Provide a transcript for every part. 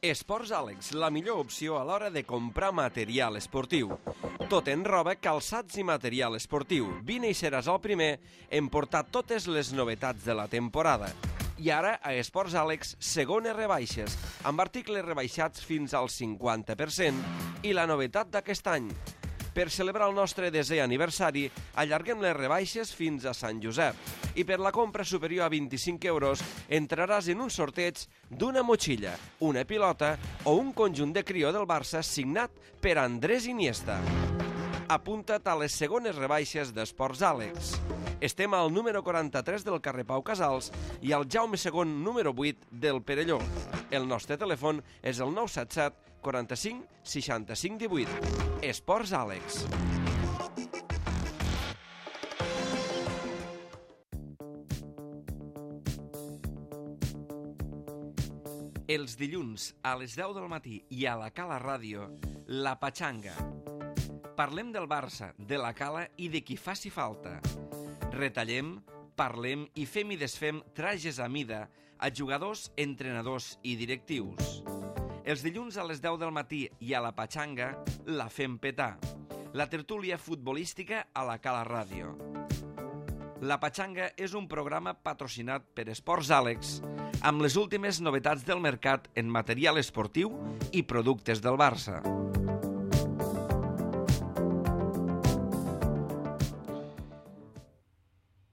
Esports Àlex, la millor opció a l'hora de comprar material esportiu. Tot en roba, calçats i material esportiu. Vine i seràs el primer en portar totes les novetats de la temporada. I ara, a Esports Àlex, segones rebaixes, amb articles rebaixats fins al 50%. I la novetat d'aquest any. Per celebrar el nostre desè aniversari, allarguem les rebaixes fins a Sant Josep. I per la compra superior a 25 euros entraràs en un sorteig d'una motxilla, una pilota o un conjunt de crió del Barça signat per Andrés Iniesta. Apunta't a les segones rebaixes d'Esports Àlex. Estem al número 43 del carrer Pau Casals i al Jaume II número 8 del Perelló. El nostre telèfon és el 977 45 65 18. Esports Àlex. Els dilluns a les 10 del matí i a la Cala Ràdio, La Patxanga. Parlem del Barça, de la Cala i de qui faci falta. Retallem, parlem i fem i desfem trajes a mida a jugadors, entrenadors i directius. Els dilluns a les 10 del matí i a la Patxanga la fem petar. La tertúlia futbolística a la Cala Ràdio. La Patxanga és un programa patrocinat per Esports Àlex amb les últimes novetats del mercat en material esportiu i productes del Barça.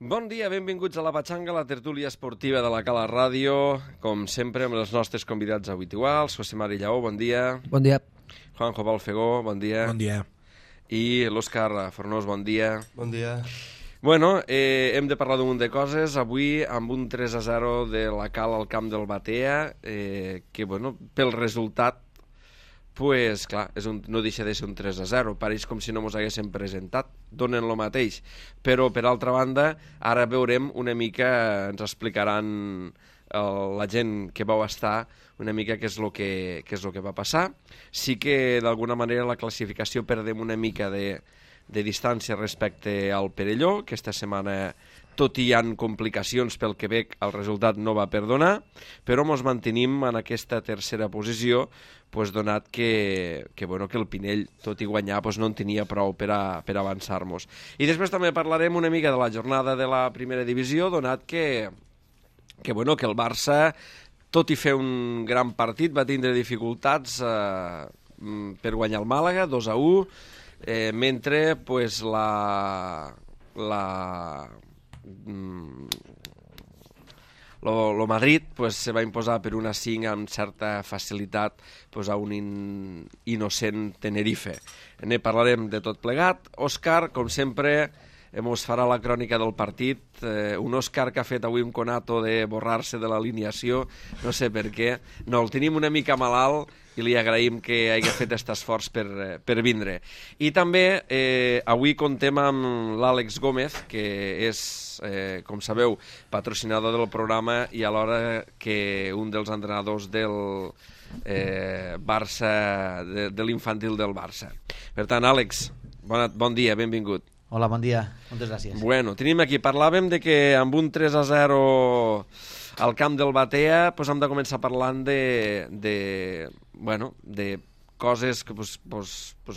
Bon dia, benvinguts a la Patxanga, la tertúlia esportiva de la Cala Ràdio. Com sempre, amb els nostres convidats habituals. José Mari Lleó, bon dia. Bon dia. Juanjo Balfegó, bon dia. Bon dia. I l'Òscar Fornós, bon dia. Bon dia. Bueno, hem de parlar d'un munt de coses. Avui, amb un 3-0 de la Cala al camp del Batea, que, bueno, pel resultat, pues, clar, no deixa de ser un 3-0. Pareix com si no mos haguéssim presentat. Donen lo mateix. Però, per altra banda, ara veurem una mica, ens explicaran la gent que vau estar una mica què és el que va passar. Sí que, d'alguna manera, la classificació perdem una mica de distància respecte al Perelló. Aquesta setmana, tot i hi ha complicacions pel Quebec, el resultat no va perdonar, però ens mantenim en aquesta tercera posició, donat que el Pinell, tot i guanyar, no en tenia prou per avançar-nos. I després també parlarem una mica de la jornada de la primera divisió, donat que el Barça, tot i fer un gran partit, va tindre dificultats per guanyar el Màlaga, 2-1, mentre lo Madrid se va imposar per 1-5 amb certa facilitat a un innocent Tenerife. Ne parlarem de tot plegat. Òscar, com sempre, ens farà la crònica del partit. Un Òscar que ha fet avui un conato de borrar-se de l'alineació, no sé per què. No, el tenim una mica malalt i li agraïm que hagi fet aquest esforç per vindre. I també avui contem amb l'Àlex Gómez, que és, com sabeu, patrocinador del programa i alhora que un dels entrenadors del Barça, de l'infantil del Barça. Per tant, Àlex, bon dia, benvingut. Hola, bon dia. Moltes gràcies. Bueno, tenim aquí, parlàvem de que amb un 3-0 al camp del Batea hem de començar parlant de coses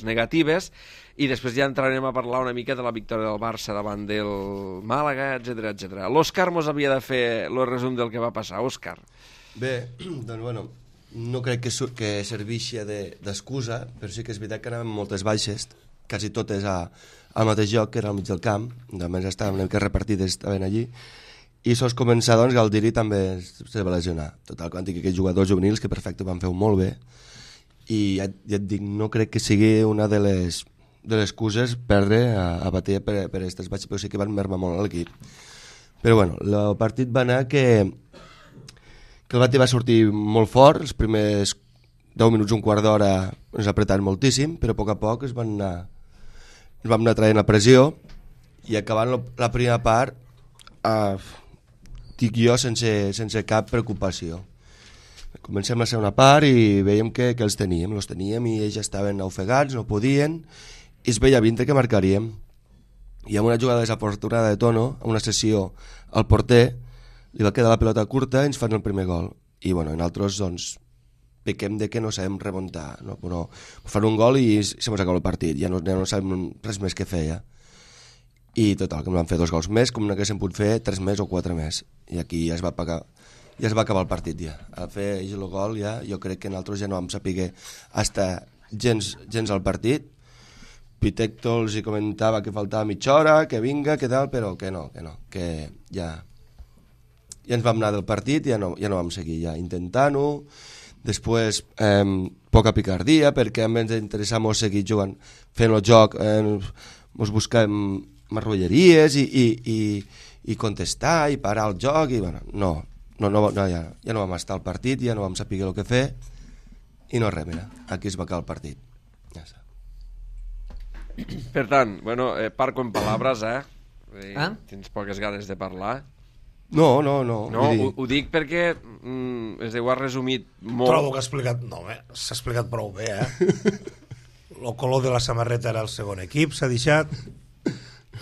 negatives i després ja entrarem a parlar una mica de la victòria del Barça davant del Màlaga, etc. L'Òscar mos havia de fer el resum del que va passar. Òscar. Bé, doncs no crec que serveixi d'excusa, però sí que és veritat que anàvem moltes baixes, quasi totes al mateix lloc, que era al mig del camp, només estaven una mica repartides, estaven allí, i sols començar, doncs, Galdiri també se va lesionar. Total, quan tinc aquells jugadors juvenils que perfecte van fer-ho molt bé, i ja et dic, no crec que sigui una de les excuses perdre a Batea per aquestes baixes, però sí que van mermar molt l'equip. Però bueno, el partit va anar que el Batea va sortir molt fort, els primers 10 minuts, un quart d'hora ens apretaven moltíssim, però a poc ens vam anar traient la pressió i acabant la primera part dic jo sense cap preocupació. Comencem la segona part i veiem que els teníem i ells estaven ofegats, no podien, i es veia vindre que marcaríem. I amb una jugada desafortunada de Tono, amb una sessió al porter, li va quedar la pelota curta i ens fan el primer gol. I nosaltres, doncs, pequem de que no sabem remuntar, no? Però fan un gol i se mos acaba el partit, ja no sabem res més que fer, ja. I total, que em van fer 2 gols més, com no haguéssim pogut fer 3 més o 4 més, i aquí ja es va acabar el partit, ja. Al fer el gol, ja, jo crec que nosaltres ja no vam saber estar gens al partit. Pitecto els hi comentava que faltava mitja hora, que vinga, que tal, però que no, que ja ens vam anar del partit, ja no vam seguir ja intentant-ho. Després, poca picardia, perquè a més ens interessava seguir jugant, fent el joc, ens buscàvem marrulleries i contestar i parar el joc, i bueno, ja no vam estar al partit, ja no vam saber el que fer, i no res, mira, aquí es va acabar el partit. Ja està. Per tant, bueno, parco en paraules, tens poques ganes de parlar. No, ho dic perquè es deu ha resumit molt. Trobo que ha explicat, s'ha explicat prou bé, el color de la samarreta era el segon equip, s'ha deixat,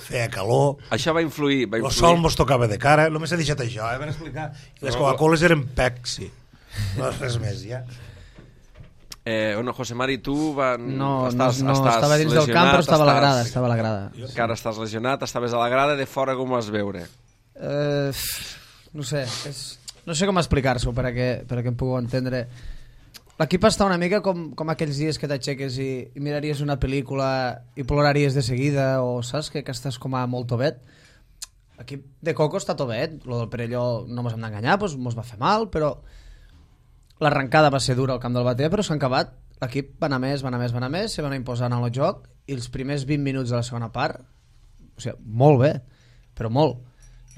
feia calor, això va influir. El sol mos tocava de cara, només s'ha deixat això, van explicar, les Coca-Coles eren Pepsi, no res més, ja. José Mari, tu estàs estava dins del camp, però estava a la grada. Encara estàs lesionat, estaves a la grada, de fora com ho vas veure? No sé, no sé com explicar-s'ho perquè em pugueu entendre. L'equip està una mica com aquells dies que t'aixeques i miraries una pel·lícula i ploraries de seguida, o saps que estàs com a molt tovet. L'equip de Coco està tovet, el del Perelló no mos hem d'enganyar, mos va fer mal, però l'arrencada va ser dura al camp del Batea, però s'ha acabat. L'equip va anar més, se van imposar en el joc, i els primers 20 minuts de la segona part, o sigui, molt bé, però molt.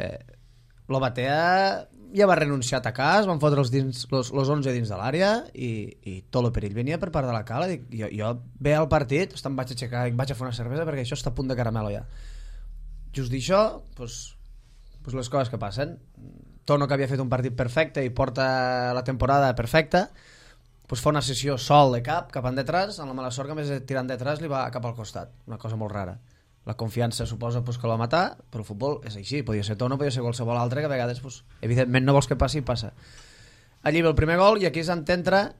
El Batea ja va renunciar a atacar, es van fotre els 11 dins de l'àrea, i tot el perill venia per part de la cala. Jo ve al partit, em vaig aixecar, vaig a fer una cervesa perquè això està a punt de caramelo ja. Just d'això, doncs les coses que passen. Tono, que havia fet un partit perfecte i porta la temporada perfecta, fa una sessió sol de cap en detrás, amb la mala sort que més tirant detrás li va cap al costat, una cosa molt rara. La confiança suposa que el va matar, però el futbol és així, podia ser Tono, podia ser qualsevol altre, que a vegades evidentment no vols que passi i passa. Allí ve el primer gol i aquí és on entra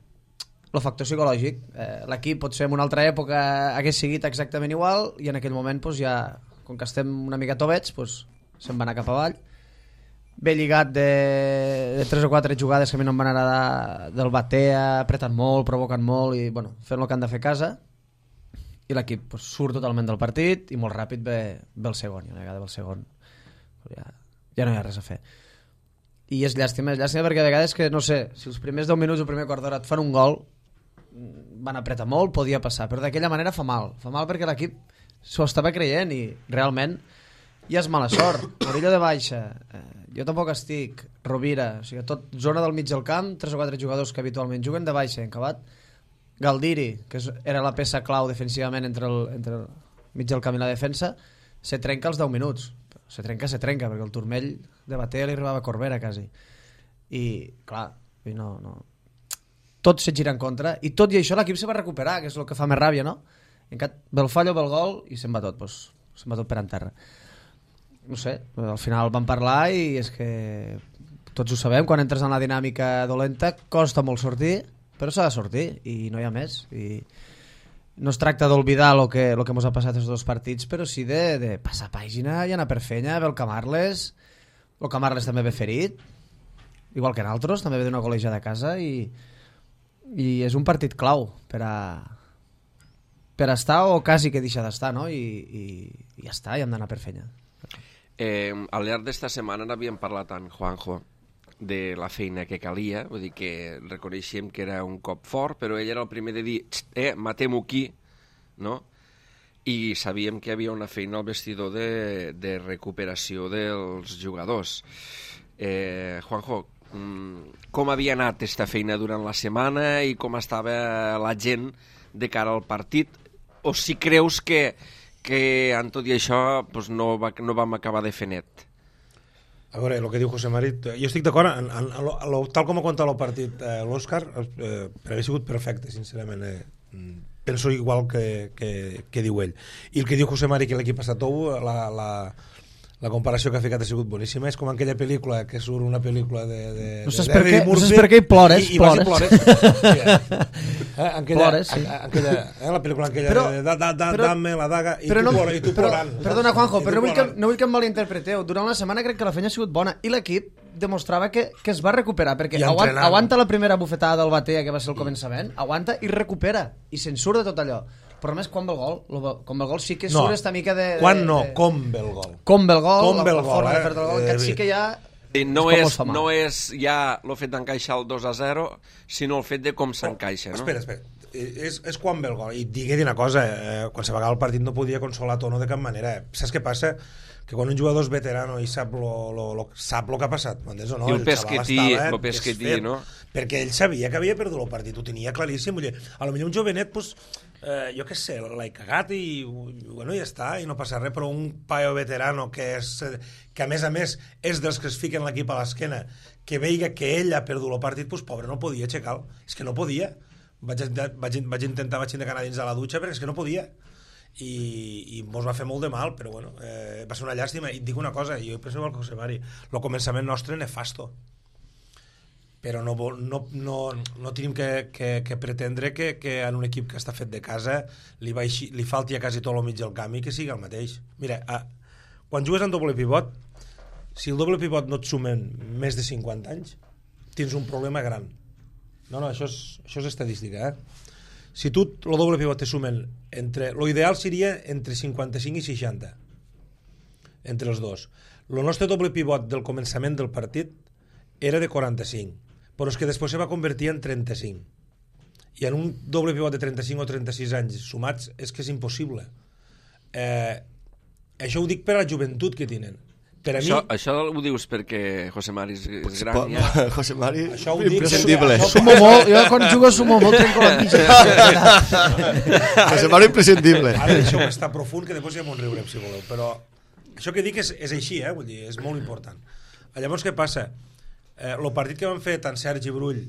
el factor psicològic. L'equip potser en una altra època hagués seguit exactament igual i en aquell moment ja, com que estem una mica tovets, se'n va anar cap avall. Ve lligat de 3 o 4 jugades que a mi no em van agradar del Batea, apretant molt, provocant molt i fent el que han de fer a casa, i l'equip surt totalment del partit i molt ràpid ve el segon, i una vegada ve el segon ja no hi ha res a fer. I és llàstima perquè a vegades que, no sé, si els primers 10 minuts o primer quart d'hora et fan un gol, van apretar molt, podia passar, però d'aquella manera fa mal perquè l'equip s'ho estava creient i realment ja és mala sort. Morillo de baixa, jo tampoc estic, Rovira, o sigui, tot zona del mig del camp, 3 o 4 jugadors que habitualment juguen de baixa, acabat Galdiri, que era la peça clau defensivament entre el mig del camp i la defensa, se trenca als 10 minuts. Se trenca, perquè el turmell de Batea li arribava a Corbera, quasi. I, clar, no. Tot se gira en contra, i tot i això l'equip se va recuperar, que és el que fa més ràbia, no? Ve el fallo, ve el gol, i se'n va tot, se'n va tot per en terra. No sé, al final vam parlar i és que tots ho sabem, quan entres en la dinàmica dolenta costa molt sortir, però s'ha de sortir i no hi ha més. I no es tracta d'oblidar el que ens ha passat els 2 partits, però sí de passar pàgina i anar per feina. Ve el Camarles també ve ferit, igual que nosaltres, també ve d'una col·legiada a casa, i és un partit clau per estar o quasi que deixar d'estar, no? I ja està, i hem d'anar per feina. Al llarg d'esta setmana n'havíem parlat tant, Juanjo, de la feina que calia, vull dir que reconeixíem que era un cop fort, però ell era el primer de dir matem-ho aquí, no? I sabíem que hi havia una feina al vestidor de recuperació dels jugadors. Juanjo, com havia anat aquesta feina durant la setmana i com estava la gent de cara al partit? O si creus que en tot i això no vam acabar de fer net? A veure, el que diu José Mari, jo estic d'acord, tal com ha contat el partit l'Òscar, per haver sigut perfecte, sincerament. Penso igual que diu ell. I el que diu José Mari, que l'equip ha estat tou, La comparació que ha ficat ha sigut boníssima. És com aquella pel·lícula que surt una pel·lícula de no saps per què hi plores. I vas i plores. Plores, sí. La pel·lícula aquella de dame la daga i tu plorant. Perdona, Juanjo, però no vull que em malinterpreteu. Durant la setmana crec que la feina ha sigut bona i l'equip demostrava que es va recuperar, perquè aguanta la primera bufetada del Batea, que va ser el començament, aguanta i recupera, i se'n surt de tot allò. Però més, quan ve el gol? Com ve el gol sí que surt esta mica de... Quan no, com ve el gol. Com ve el gol, la forma de fer-te el gol, que sí que ja... No és ja el fet d'encaixar el 2-0, sinó el fet de com s'encaixa, no? Espera. És quan ve el gol. I digui una cosa, quan se va acabar el partit no podia consolar Tono de cap manera. Saps què passa? Que quan un jugador és veterano i sap lo que ha passat, m'entens o no? I el pesquetí, no? Perquè ell sabia que havia perdut el partit, ho tenia claríssim. A lo millor un jovenet, pues, jo què sé, l'he cagat i bueno, ja està, i no passa res, però un paio veterano que a més és dels que es fiquen l'equip a l'esquena, que veiga que ell ha perdut el partit, pues, pobre, no podia aixecar-lo. És que no podia. Vaig intentar anar dins de la dutxa perquè és que no podia. I mos va fer molt de mal, però bueno, va ser una llàstima. I et dic una cosa, jo penso igual que José Mari, el començament nostre nefasto, però no tenim que pretendre que en un equip que està fet de casa li falti a quasi tot el mig del camp i que sigui el mateix. Mira, quan jugues en doble pivot, si el doble pivot no et sumen més de 50 anys, tens un problema gran. No, això és estadística, Si tu el doble pivot te sumen lo ideal seria entre 55 i 60 entre els dos. El nostre doble pivot del començament del partit era de 45, però és que després se va convertir en 35, i en un doble pivot de 35 o 36 anys sumats és que és impossible. Això ho dic per a la joventut que tenen. Per a mi... Això ho dius perquè José Mari és gran, ja? José Mari, això ho dic, imprescindible. Sumo molt, jo quan jugo sumo molt, trenco la mitja. José Mari, imprescindible. Ara deixeu estar profund, que després ja m'ho riurem, si voleu. Però això que dic és així, vull dir, és molt important. Llavors, què passa? El partit que van fer tant Sergi Brull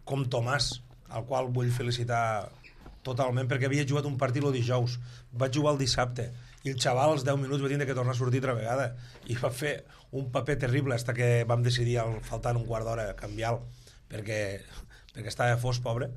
com Tomàs, al qual vull felicitar totalment, perquè havia jugat un partit el dijous, vaig jugar el dissabte, i el xaval als 10 minuts va tindre que tornar a sortir altra vegada i va fer un paper terrible fins que vam decidir faltant un quart d'hora canviar-lo perquè estava fos, pobre.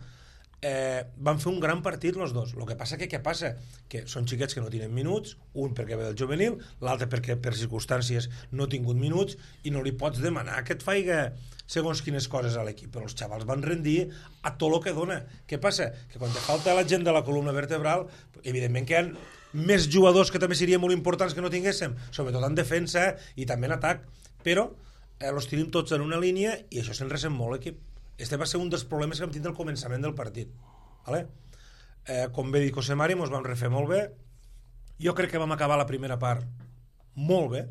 Van fer un gran partit els dos. El que passa què passa? Que són xiquets que no tenen minuts, un perquè ve del juvenil, l'altre perquè per circumstàncies no ha tingut minuts, i no li pots demanar que et faiga segons quines coses a l'equip, però els xavals van rendir a tot el que dona. Què passa? Que quan te falta la gent de la columna vertebral, evidentment que hi ha més jugadors que també serien molt importants que no tinguéssim, sobretot en defensa i també en atac, però els tenim tots en una línia i això se'n ressent molt l'equip. Este va ser un dels problemes que vam tindre al començament del partit, vale? Com bé dit José Mari, ens vam refer molt bé. Jo crec que vam acabar la primera part molt bé,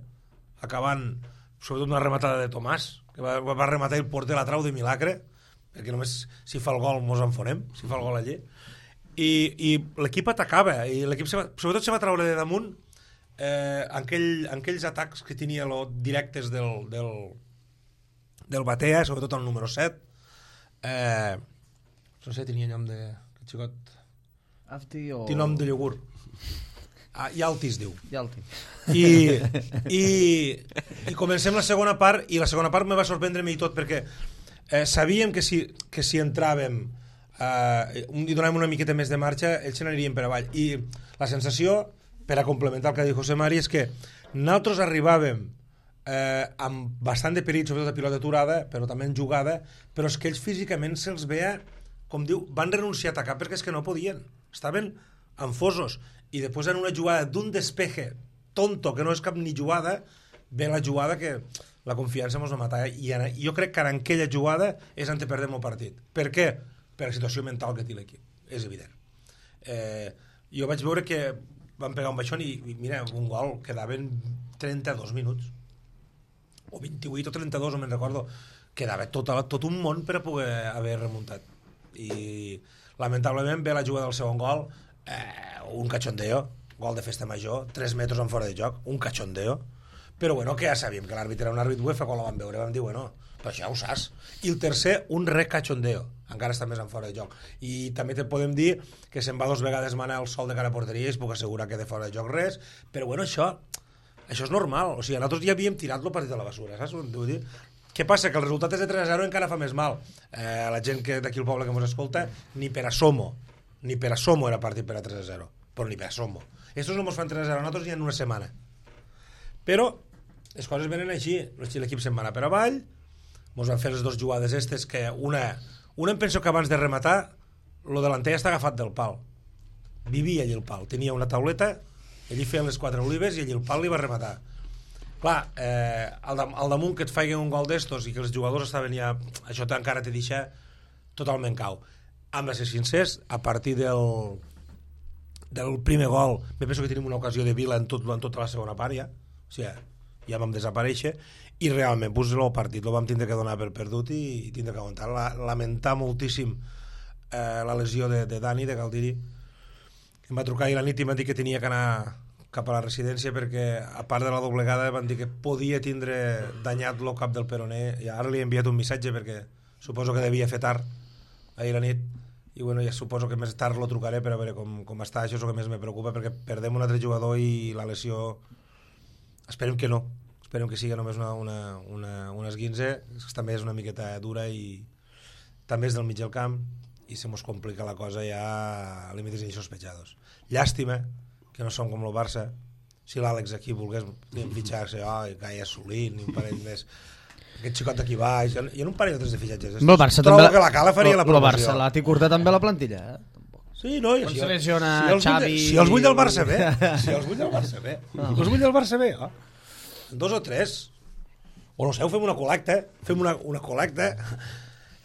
acabant sobretot una rematada de Tomàs, que va rematar el porter, la trau de milagre, perquè només si fa el gol mos enfonem, si fa el gol allí. I l'equip atacava, i l'equip sobretot se va treure de damunt aquells atacs que tenia directes del Batea, sobretot el número 7. No sé, tenia nom de xicot. Afti o... Té nom de iogurt. Yalti es diu. Yalti. I comencem la segona part, i la segona part me va sorprendre-me i tot, perquè sabíem que si entràvem i donàvem una miqueta més de marxa, ells se n'anirien per avall. I la sensació, per a complementar el que ha dit José Mari, és que nosaltres arribàvem amb bastant de perill, sobretot a pilota aturada, però també en jugada, però és que ells físicament se'ls veia, com diu, van renunciar a atacar perquè és que no podien, estaven enfosos, i després en una jugada d'un despeje tonto, que no és cap ni jugada, ve la jugada que la confiança ens va matar, i jo crec que en aquella jugada és on perdem el partit. Per què? Per la situació mental que té l'equip, és evident. Jo vaig veure que van pegar un baixón i mira, un gol, quedaven 32 minuts o 28 o 32, no me'n recordo, quedava tot un món per a poder haver remuntat, i lamentablement ve la jugada del segon gol, un cachondeo, gol de festa major, 3 metres en fora de joc, un cachondeo, però bueno, que ja sabíem que l'àrbitre era un àrbit UEFA, quan la vam veure vam dir, bueno, però això ja ho saps. I el tercer, un recachondeo, encara està més en fora de joc. I també te podem dir que se'n va 2 vegades manar el sol de cara a porteria i es puc assegurar que de fora de joc res, però bueno, això Això és normal, o sigui, nosaltres ja havíem tirat el partit a la basura, saps? Vull dir? Què passa? Que el resultat és de 3-0 encara fa més mal. La gent d'aquí al poble que ens escolta, ni per asomo era partit per a 3-0, però ni per asomo. Estos no ens fan 3-0 a nosaltres ni en una setmana. Però les coses venen així, l'equip se'n va anar per avall, ens van fer les dues jugades estes, que una em penso que abans de rematar, lo delanter està agafat del pal. Vivia allí el pal, tenia una tauleta, allí feien les 4 olives i allí el pal li va rematar. Clar, al damunt que et faiguen un gol d'estos i que els jugadors estaven ja... Això encara te deixa totalment cau. Hem de ser sincers, a partir del primer gol, me penso que tenim una ocasió de Vila en tota la segona part ja, o sigui, ja vam desaparèixer, i realment pues, el partit el vam tindre que donar per perdut i tindre que aguantar. Lamentar moltíssim la lesió de Dani, de Galdiri. Em va trucar ahir la nit i em va dir que tenia que anar cap a la residència perquè, a part de la doblegada, van dir que podia tindre danyat el cap del peroné, i ara li he enviat un missatge perquè suposo que devia fer tard ahir la nit, i bueno, ja suposo que més tard lo trucaré per a veure com està. Això és el que més me preocupa, perquè perdem un altre jugador i la lesió esperem que no, esperem que sigui només una esguinze, que també és una miqueta dura i també és del mig del camp i se mos complica la cosa ja a límites insospechados. Llàstima que no som com el Barça. Si l'Àlex aquí volgués fitxar-se, que hagi assolit ni un parell més, aquest xicot d'aquí baix, i en un parell de fitxatges. El Barça trobo també que la Cala faria la promoció. El Barça l'ha curta també la plantilla, Sí, no, quan se lesiona Xavi... Si els vull del Barça bé, els vull del Barça bé, 2 o 3, o no sé, fem una col·lecta,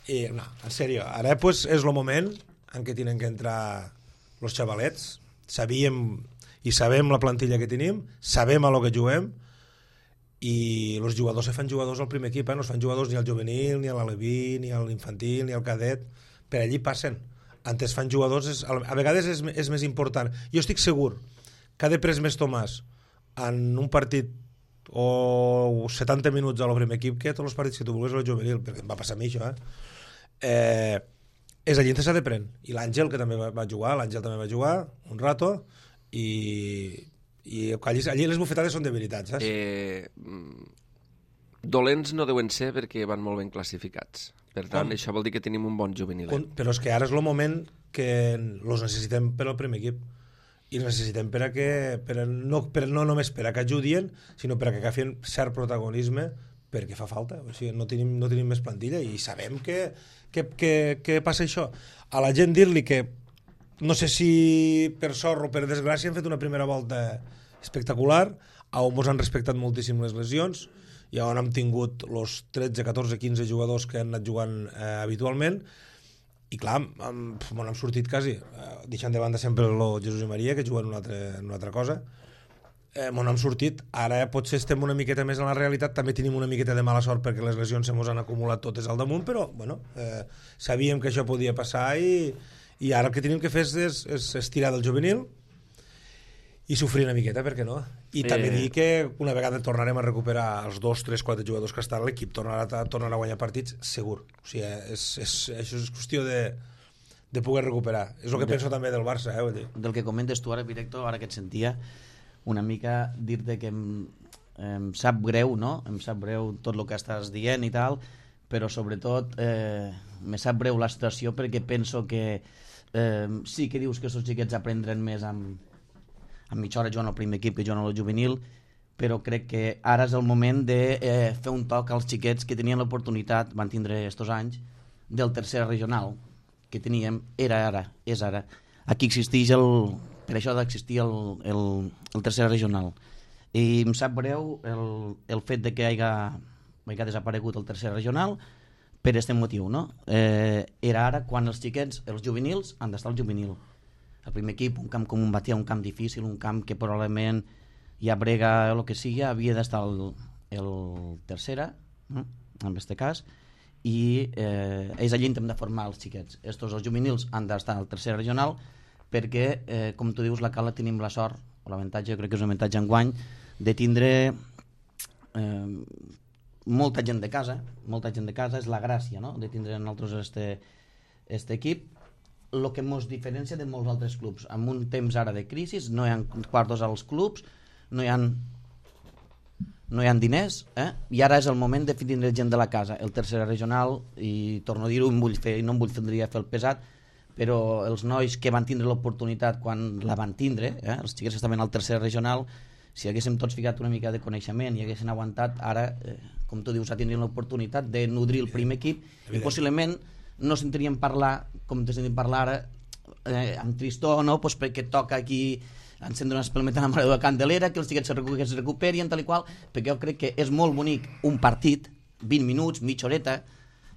i no, en sèrio, ara pues, és el moment en què tenen que entrar els xavalets. Sabíem i sabem la plantilla que tenim, sabem a lo que juguem, i els jugadors se fan jugadors al primer equip, no es fan jugadors ni al juvenil, ni a l'aleví, ni a l'infantil, ni al cadet, per allí passen. Antes fan jugadors, a vegades és més important. Jo estic segur que ha de pres més Tomàs en un partit o 70 minuts al primer equip que tots els partits que tu vulguis al juvenil, perquè em va passar a mi això, és allí on s'ha de prendre. I l'Àngel, que també va jugar, un rato, i allí les bufetades són debilitats, saps? Dolents no deuen ser perquè van molt ben classificats. Per tant, això vol dir que tenim un bon juvenil. Però és que ara és el moment que els necessitem per al primer equip. I els necessitem no només per a que ajudien, sinó per a que agafin cert protagonisme, perquè fa falta. O sigui, no tenim més plantilla i sabem que passa això. A la gent dir-li que no sé si per sort o per desgràcia han fet una primera volta espectacular, on ens han respectat moltíssim les lesions i on hem tingut els 13, 14, 15 jugadors que han anat jugant habitualment, i clar, m'han sortit quasi, deixant de banda sempre el Jesús i Maria, que juguen una altra cosa, m'han sortit. Ara potser estem una miqueta més en la realitat, també tenim una miqueta de mala sort perquè les lesions se mos han acumulat totes al damunt, però bueno, sabíem que això podia passar i ara el que tenim que fer és tirar del juvenil i sofrir una miqueta, per què no? I també dir que una vegada tornarem a recuperar els 2, 3, 4 jugadors que estan, l'equip tornarà a guanyar partits segur. O sigui, això és qüestió de poder recuperar. És el que penso també del Barça, vull dir. Del que comentes tu ara, Directo, ara que et sentia una mica dir-te que em sap greu, no? Em sap greu tot el que estàs dient i tal, però sobretot me sap greu la situació perquè penso que sí que dius que els xiquets aprendran més amb mitja hora jugant al primer equip que jugant al juvenil, però crec que ara és el moment de fer un toc als xiquets que tenien l'oportunitat, van tindre estos anys, del tercer regional que teníem, és ara. Aquí existeix per això d'existir el tercer regional. I em sap greu el fet de que hagi desaparegut el tercer regional per aquest motiu, no? Era ara quan els xiquets, els juvenils, han d'estar al juvenil. El primer equip, un camp com un Batea, un camp difícil, un camp que probablement hi ha brega o el que sigui, havia d'estar el tercera, en aquest cas, i és allí on hem de formar els xiquets. Els juvenils han d'estar al tercer regional perquè, com tu dius, la Cala tenim la sort, o l'avantatge, jo crec que és un avantatge enguany, de tindre molta gent de casa, és la gràcia, no?, de tindre nosaltres este equip. El que ens diferencia de molts altres clubs. En un temps ara de crisi no hi ha quartos als clubs, no hi ha no hi ha diners, i ara és el moment de tindre gent de la casa. El tercera regional, i torno a dir-ho, no em vull fer el pesat, però els nois que van tindre l'oportunitat quan la van tindre, els xiquets que estaven al tercer regional, si haguéssim tots ficat una mica de coneixement i haguessin aguantat, ara, com tu dius, tindrien l'oportunitat de nodrir el primer equip i possiblement no sentiríem parlar, com te sentim parlar ara, amb tristor, no? Pues perquè toca aquí encendre una espelmeta a la Mare de Candelera, que els xiquets es recuperin, tal i qual, perquè jo crec que és molt bonic un partit, 20 minuts, mitja horeta,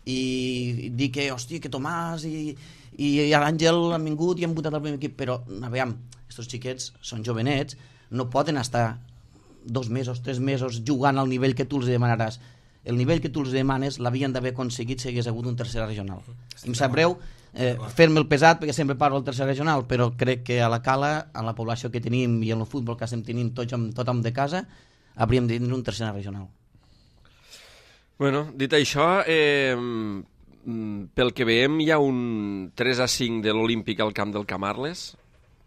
i dir que, hòstia, que Tomàs i l'Àngel han vingut i han votat el primer equip, però, aviam, aquests xiquets són jovenets, no poden estar 2 mesos, 3 mesos jugant al nivell que tu els demanaràs. El nivell que tu els demanes l'havien d'haver aconseguit si hagués hagut un tercer regional. Em sap greu fer-me el pesat perquè sempre parlo del tercer regional, però crec que a la Cala, a la població que tenim i en el futbol que estem tenint tothom de casa, hauríem de tenir un tercer regional. Bueno, dit això, pel que veiem hi ha un 3-5 de l'Olímpic al camp del Camarles.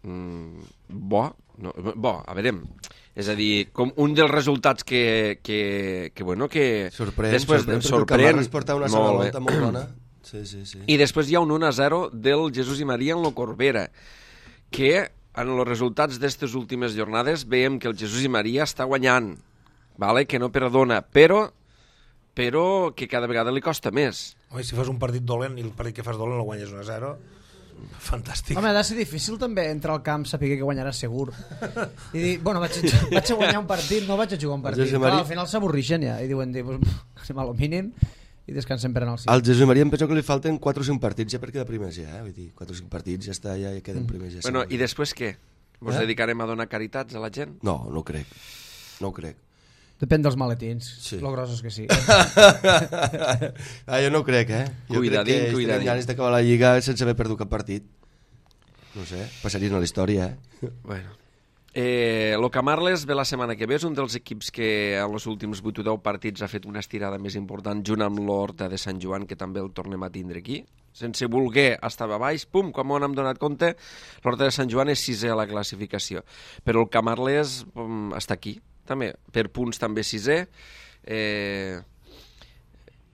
Bo, a veure, és a dir, com un dels resultats que sorprèn, després perquè el Camarles porta una segona volta molt bona. Sí. I després hi ha un 1-0 del Jesús i Maria en lo Corbera, que en els resultats d'aquestes últimes jornades veiem que el Jesús i Maria està guanyant, vale? Que no perdona, però que cada vegada li costa més. Home, si fas un partit dolent i el partit que fas dolent el guanyes 1-0, fantàstic. Home, ha de ser difícil també entrar al camp saber que guanyarà segur i dir, bueno, vaig a guanyar un partit, no vaig a jugar un partit. Clar, al final s'avorreixen ja i diuen, anem a lo mínim i descansem per anar al cim. Al Jesús Maria em penso que li falten 4 o 5 partits ja per quedar primers ja, vull dir, 4 o 5 partits ja està, ja queden primers ja. Bueno, i després què? Vos dedicarem a donar caritats a la gent? No ho crec. Depèn dels maletins, sí. Lo grossos que sí. Jo no ho crec, Jo crec que estarem ganes d'acabar la Lliga sense haver perdut cap partit. No sé, passarien a la història, Bueno. Lo Camarles ve la setmana que ve, és un dels equips que en els últims 8 o 10 partits ha fet una estirada més important junt amb l'Horta de Sant Joan, que també el tornem a tindre aquí. Sense voler estava a baix, pum, quan m'ho hem donat compte, l'Horta de Sant Joan és 6è a la classificació. Però el Camarles està aquí, també, per punts també 6è.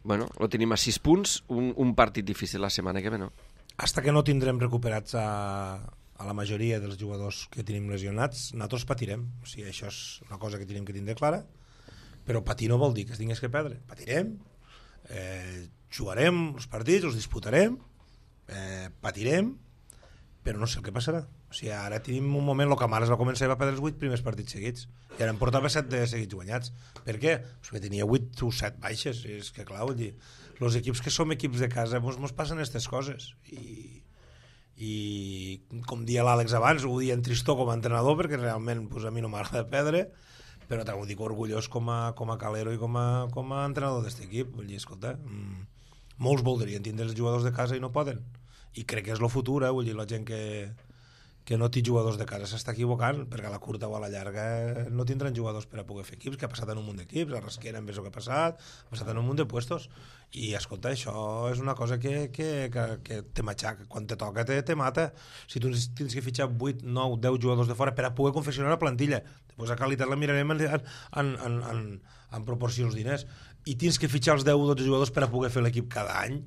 Bueno, lo tenim a 6 punts, un partit difícil la setmana que ve, no? Hasta que no tindrem recuperats a la majoria dels jugadors que tenim lesionats, nosaltres patirem. O sigui, això és una cosa que tenim que tindre clara, però patir no vol dir que es tingués que perdre. Patirem, jugarem els partits, els disputarem, patirem, però no sé el que passarà. O sigui, ara tenim un moment, el Camarles va començar i va perdre els 8 primers partits seguits, i ara em portava 7 de seguits guanyats. Per què? Perquè tenia 8 o 7 baixes, és que clar, vull dir, els equips que som equips de casa mos passen aquestes coses, i com dia l'Àlex abans, ho dia en tristor com a entrenador, perquè realment a mi no m'agrada perdre, però t'ho dic orgullós com a calero i com a entrenador d'aquest equip. Vull dir, escolta, molts voldrien tindre els jugadors de casa i no poden, i crec que és el futur, vull dir, la gent que no té jugadors de casa s'està equivocant, perquè a la curta o a la llarga no tindran jugadors per a poder fer equips, que ha passat en un munt d'equips, a Rasquera en vez que ha passat en un munt de puestos, i escolta, això és una cosa que te matxaca, quan te toca te mata. Si tu tens que fitxar 8, 9, 10 jugadors de fora per a poder confeccionar una plantilla, després a qualitat la mirarem en proporcions diners, i tens que fitxar els 10 o 12 jugadors per a poder fer l'equip cada any,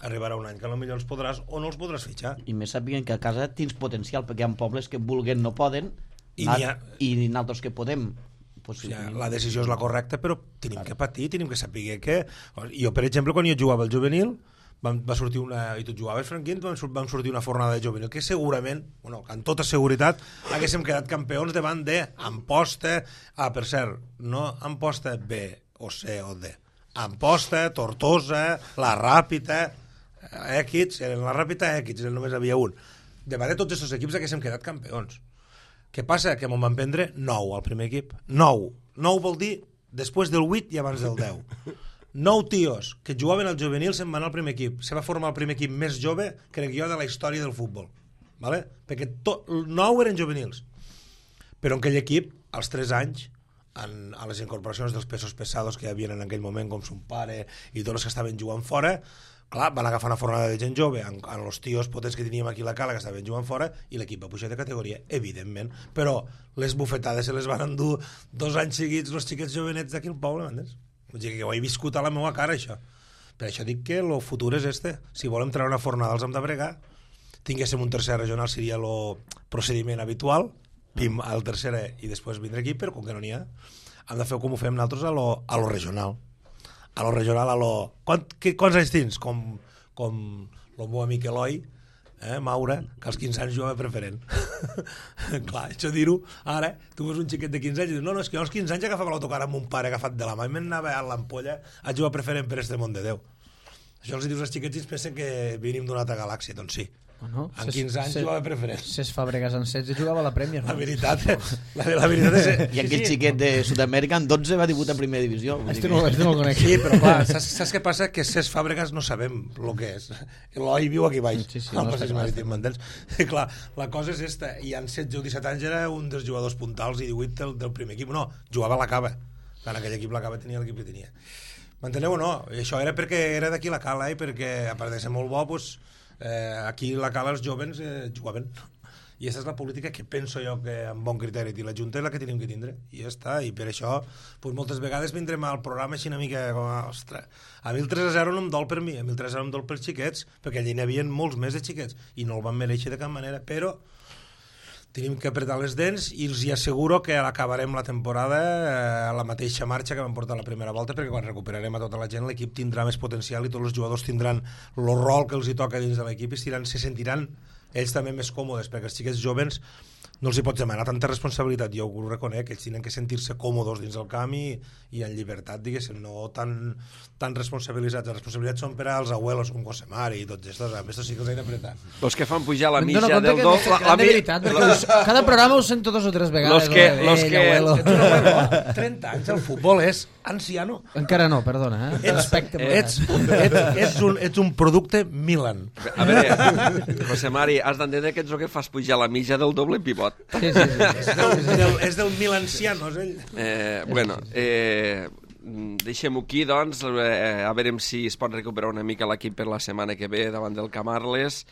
arribarà un any que potser els podràs o no els podràs fitxar. I més sàpiguen que a casa tens potencial, perquè hi ha pobles que vulguen no poden i nosaltres que podem. O sigui, la decisió és la correcta, però tenim que patir, tenim que saber que... Jo, per exemple, quan jo jugava al juvenil, va sortir una... i tu jugaves, Franquín, vam sortir una fornada de juvenil que segurament, bueno, amb tota seguretat, haguéssim quedat campions davant de Amposta, per cert, no Amposta B o C o D, Amposta, Tortosa, la Ràpita, Equids, eren la Ràpita, Equids, només havia un. Davant de tots aquests equips haguéssim quedat campions. Què passa? Que m'ho van prendre 9 al primer equip. 9. 9 vol dir després del 8 i abans del 10. 9 tios que jugaven al juvenil se'n van al primer equip. Se va formar el primer equip més jove, crec jo, de la història del futbol. ¿Vale? Perquè 9 eren juvenils. Però en aquell equip, als 3 anys, a les incorporacions dels pesos pesados que hi havia en aquell moment, com son pare i tots els que estaven jugant fora, Clar, van agafar una fornada de gent jove amb els tios potents que teníem aquí a la cala que estaven jugant fora i l'equip va pujar de categoria, evidentment, però les bufetades se les van endur 2 anys seguits els xiquets jovenets d'aquí al poble, m'entens? Vull dir que ho he viscut a la meva cara, això. Per això dic que el futur és este. Si volem treure una fornada els hem de bregar, tinguéssim un tercer regional seria el procediment habitual, pim, al tercer i després vindre aquí, però com que no n'hi ha, hem de fer com ho fem nosaltres a lo regional. A lo regional, quants anys tens? Com el meu amic Eloi, Maura, que als 15 anys jugava preferent. Clar, això dir-ho, ara, tu veus un xiquet de 15 anys i dius, no, és que jo als 15 anys agafava l'autocar amb un pare agafat de la mà i m'anava a l'ampolla a jugar preferent per este món de Déu. Això els dius als xiquets i es pensen que venim d'una altra galàxia, doncs sí. Bueno, en 15 anys jugava preferent. Cesc Fàbregas en 16 jugava a la Premier. La veritat és... I aquell xiquet de Sud-amèrica en 12 va debutar a primera divisió. Este no el conec. Sí, però clar, saps què passa? Que Cesc Fàbregas no sabem el que és. Eloi viu aquí baix, al Passeig Marítim, m'entens? Clar, la cosa és esta. I en 16 o 17 anys era un dels jugadors puntals i 18 del primer equip. No, jugava a la Cava. En aquell equip la Cava tenia l'equip que tenia. M'enteneu o no? I això era perquè era d'aquí la Cala i perquè, a part de ser molt bo, doncs, aquí a la Cala els joves jugaven. I aquesta és la política que penso jo que amb bon criteri i la Junta és la que tenim que tindre i ja està, i per això doncs moltes vegades vindrem al programa així una mica com, ostres, a mi el 3-0 no em dol per mi, a mi el 3-0 em dol pels xiquets perquè allà n'hi havia molts més de xiquets i no el van mereixer de cap manera, però tenim que apretar les dents i els asseguro que acabarem la temporada a la mateixa marxa que vam portar la primera volta, perquè quan recuperarem a tota la gent l'equip tindrà més potencial i tots els jugadors tindran el rol que els hi toca dins de l'equip i se sentiran ells també més còmodes, perquè els xiquets jovens no els hi pots demanar tanta responsabilitat, jo ho reconec, ells tenen que sentir-se còmodes dins el camp i en llibertat, diguéssim, no tan responsabilitzats. Les responsabilitats són per als abuelos com Cosemar i tots estos, a més sí que els he d'apretar. Los que fan pujar la mitja del dos... La veritat, cada programa ho sento 2 o 3 vegades. Los que 30 anys al futbol és anciano. Encara no, perdona. Ets un producte Milan. A veure, José Mari, has d'entendre que ets el que fas pujar la mitja del doble pivot. Sí. És del Milanciano, és ell. Bueno, deixem-ho aquí, doncs, a veure si es pot recuperar una mica l'equip per la setmana que ve davant del Camarles.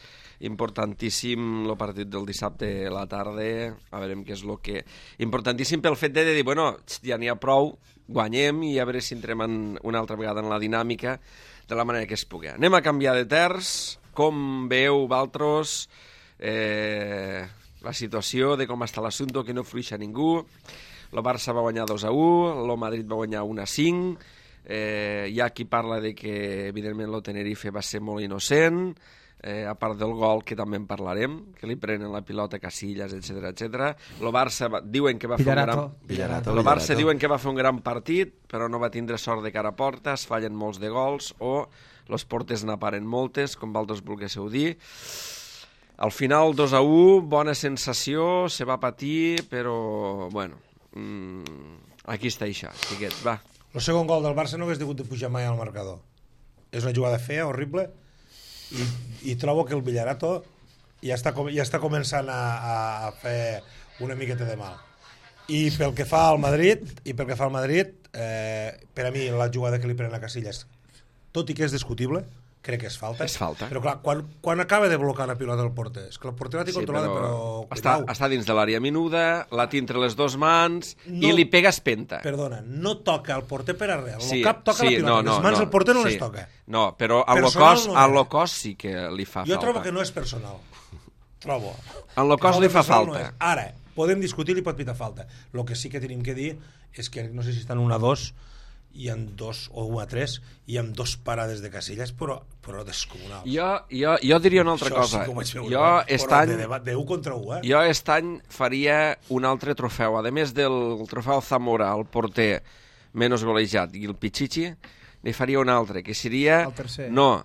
Importantíssim el partit del dissabte a la tarda, a veure què és el que... Importantíssim pel fet de dir, bueno, ja n'hi ha prou, guanyem i a veure si entrem una altra vegada en la dinàmica de la manera que es pugui. Anem a canviar de terç, com veieu, Valtros, la situació de com està l'assumpte, que no fluixa ningú. El Barça va guanyar 2-1, el Madrid va guanyar 1-5, hi ha qui parla de que evidentment el Tenerife va ser molt innocent, a part del gol, que també en parlarem, que li prenen la pilota a Casillas, etc. El Barça diuen que va fer el Barça diuen que va fer un gran partit, però no va tindre sort de cara a porta, es fallen molts de gols o les portes n'aparen moltes, com vosaltres volguéssiu dir. Al final 2-1, bona sensació, se va patir, però bueno, aquí està això, xiquets, va. El segon gol del Barça no hagués hagut de pujar mai al marcador. És una jugada fea, horrible, i trobo que el Villarato ja està començant a fer una miqueta de mal. I pel que fa al Madrid, per a mi la jugada que li pren a Casillas, tot i que és discutible, crec que és falta. És falta. Però clar, quan acaba de blocar la pilota del porter, és que el porter la té controlada, però... Està dins de l'àrea menuda, la té entre les dues mans i li pega espenta. Perdona, no toca el porter per arrel. El cap toca la pilota, les mans del porter no les toca. No, però a lo cos sí que li fa falta. Jo trobo que no és personal. Trobo. En lo cos li fa falta. Ara, podem discutir, li pot pitar falta. El que sí que tenim que dir és que no sé si estan 1-2 i amb 2 o 1-3 i amb 2 parades de Casillas, però descomunals. Jo diria una altra cosa. De 1 contra 1, Jo aquest any faria un altre trofeu. A més del trofeu Zamora, el porter menys golejat, i el Pichichi, ne faria un altre, que seria... El tercer. No,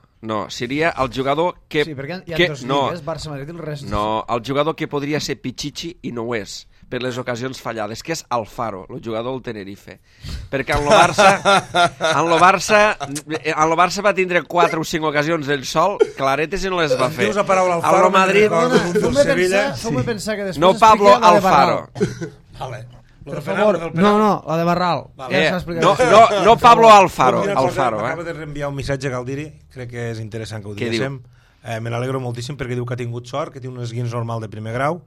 seria el jugador que... Sí, perquè hi ha dos lligues, Barça-Madrid i el rest. No, el jugador que podria ser Pichichi i no ho és, per les ocasions fallades, que és Alfaro, el jugador del Tenerife. Perquè en lo Barça va tindre 4 o 5 ocasions del sol, claretes i no les va fer. Dius la paraula Alfaro, Madrid... Feu-me pensar que després... No Pablo Alfaro. Vale. Per favor, no, la de Barral. Vale. Ja s'ha explicat. No Pablo Alfaro, M'acaba de reenviar un missatge a Galdiri, crec que és interessant que ho Què diguéssim. Me n'alegro moltíssim perquè diu que ha tingut sort, que té un esguins normal de primer grau.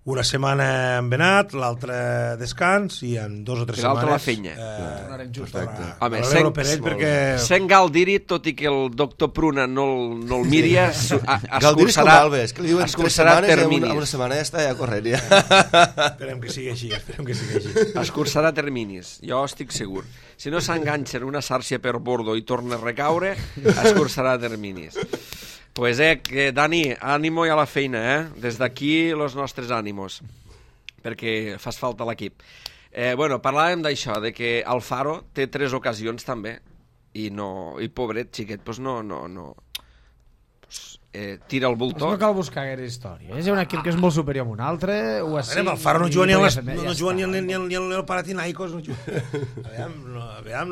Una setmana en venat, l'altra descans, i en 2 o 3 I setmanes... l'altra la fenya. Tornarem just. Home, m'alegro per ell perquè... sent Galdiri, tot i que el doctor Pruna no el miri, Galdiri és com Alves, que li diuen 3 setmanes i una setmana ja està ja corrent. Esperem que sigui així, Escurçarà terminis, jo estic segur. Si no s'enganxa en una xarxa per bordo i torna a recaure, escurçarà terminis. Pues que Dani, ànimo i a la feina, Des d'aquí, los nostres ànimos, perquè fas falta a l'equip. Bueno, parlàvem d'això, de que Alfaro té 3 ocasions també, i pobret, xiquet, pues no tira el bulto. No cal buscar gaire història. És un equip que és molt superior a un altre, Alfaro no juga ni el Panathinaikos, no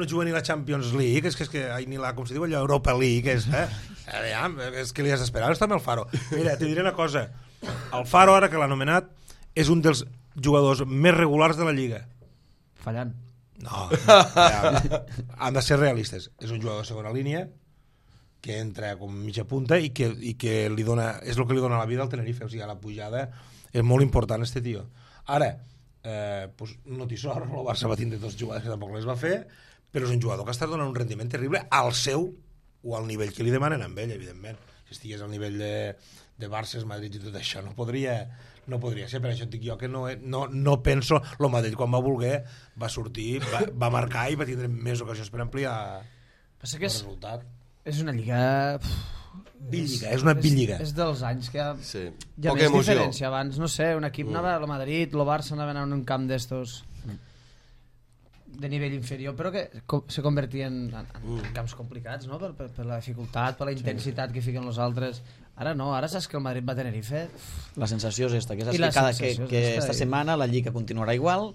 juga ni la Champions League, és que ni la, com se diu allò, Europa League, és que li has d'esperar, està amb Alfaro. Mira, te diré una cosa, Alfaro, ara que l'ha anomenat, és un dels jugadors més regulars de la Lliga. Fallant. No, han de ser realistes. És un jugador de segona línia, que entra com mitja punta i que li dona, és el que li dona la vida al Tenerife, o sigui, a la pujada és molt important este tio. Ara, pues, no té sort, el Barça va tindre 2 jugades que tampoc les va fer, però és un jugador que està donant un rendiment terrible al seu o al nivell que li demanen amb ell, evidentment. Si estigués al nivell de Barça, Madrid i tot això, no podria ser. Per això et dic jo que no penso... El Madrid, quan va voler, va sortir, va marcar i va tindre més ocasions per ampliar el resultat. És una lliga... Bílliga, és una bílliga. És dels anys que hi ha Poca més emoció. diferència. Abans, no sé, un equip anava a Madrid, el Barça anava a un camp d'estos de nivell inferior, però que se convertien en camps complicats, no? Per la dificultat, per la intensitat que fiquen els altres. Ara no, ara saps que el Madrid va a Tenerife... La sensació és esta, que esta setmana la Lliga continuarà igual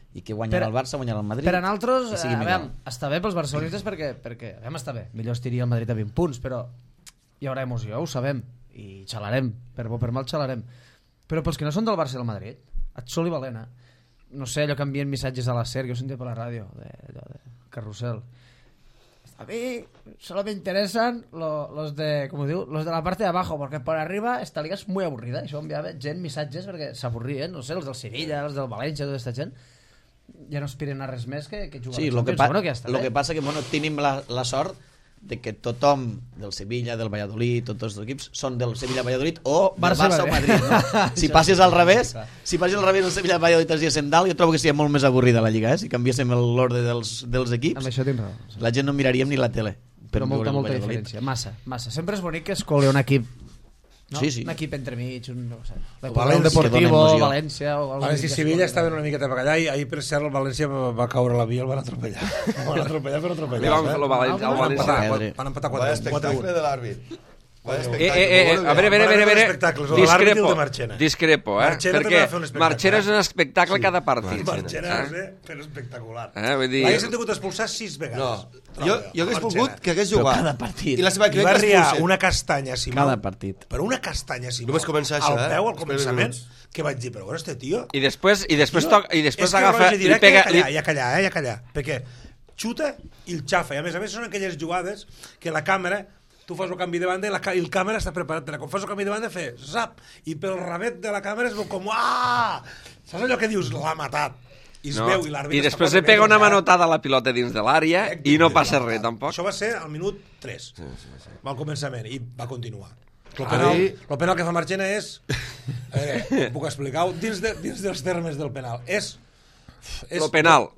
i que guanyarà el Barça, guanyarà el Madrid. Per a nosaltres, està bé pels barcelonistes perquè està bé. Millor estiria el Madrid a 20 punts, però hi haurà emoció, ho sabem, i xalarem, per bo per mal xalarem. Però pels que no són del Barça i del Madrid, et sol i valent, no sé, allò que envien missatges a la SER, que ho sentia per la ràdio, de Carrusel. A mí solo me interesan los de, como digo, los de la parte de abajo, porque por arriba esta liga es muy aburrida. Això enviava gent missatges perquè s'avorrien, no sé, els del Sevilla, els del València, tota aquesta gent. Ja no aspiren a res més que jugar. Sí, el que passa que tenim la sort de que tothom del Sevilla, del Valladolid, tots els equips són del Sevilla, Valladolid o del Barça o Madrid, no? Si passes al revés, el Sevilla, Valladolid es diesen dalt, jo trobo que seria molt més avorrida la Lliga, si canviéssim l'ordre dels equips. Amb això tens raó. La gent no miraríem ni la tele. Però molta diferència, massa. Sempre és bonic que es coli un equip, no? Sí. Un equip entremig, no sé, València, Deportivo, València... València i Sevilla estaven una miqueta per allà i ahir per cert el València va caure a la via i el van atropellar. Van atropellar per atropellar. Li van fer el València. Van empatar 4-1. Vaya espectacle de l'àrbit. A veure, discrepo, perquè Marchena és un espectacle cada partit. Marchena però espectacular. L'haguessin tingut expulsar 6 vegades. Jo hagués volgut que hagués jugat cada partit. i la seva va riar una castanya a Simó, cada partit, però una castanya a Simó només començar això, al peu al començament, que vaig dir, però bueno, este tio i després agafa i pega ja callar, perquè xuta i el xafa, i a més són aquelles jugades que la càmera, tu fas el canvi de banda i el càmera està preparat per quan fas el canvi de banda fer zap, i pel ramet de la càmera es veu com saps allò que dius, l'ha matat i es veu i l'àrbit i després li pega una manotada a la pilota dins de l'àrea i no passa res tampoc. Això va ser al minut 3 al començament i va continuar. El penal que fa Marchena és puc explicar-ho dins dels termes del penal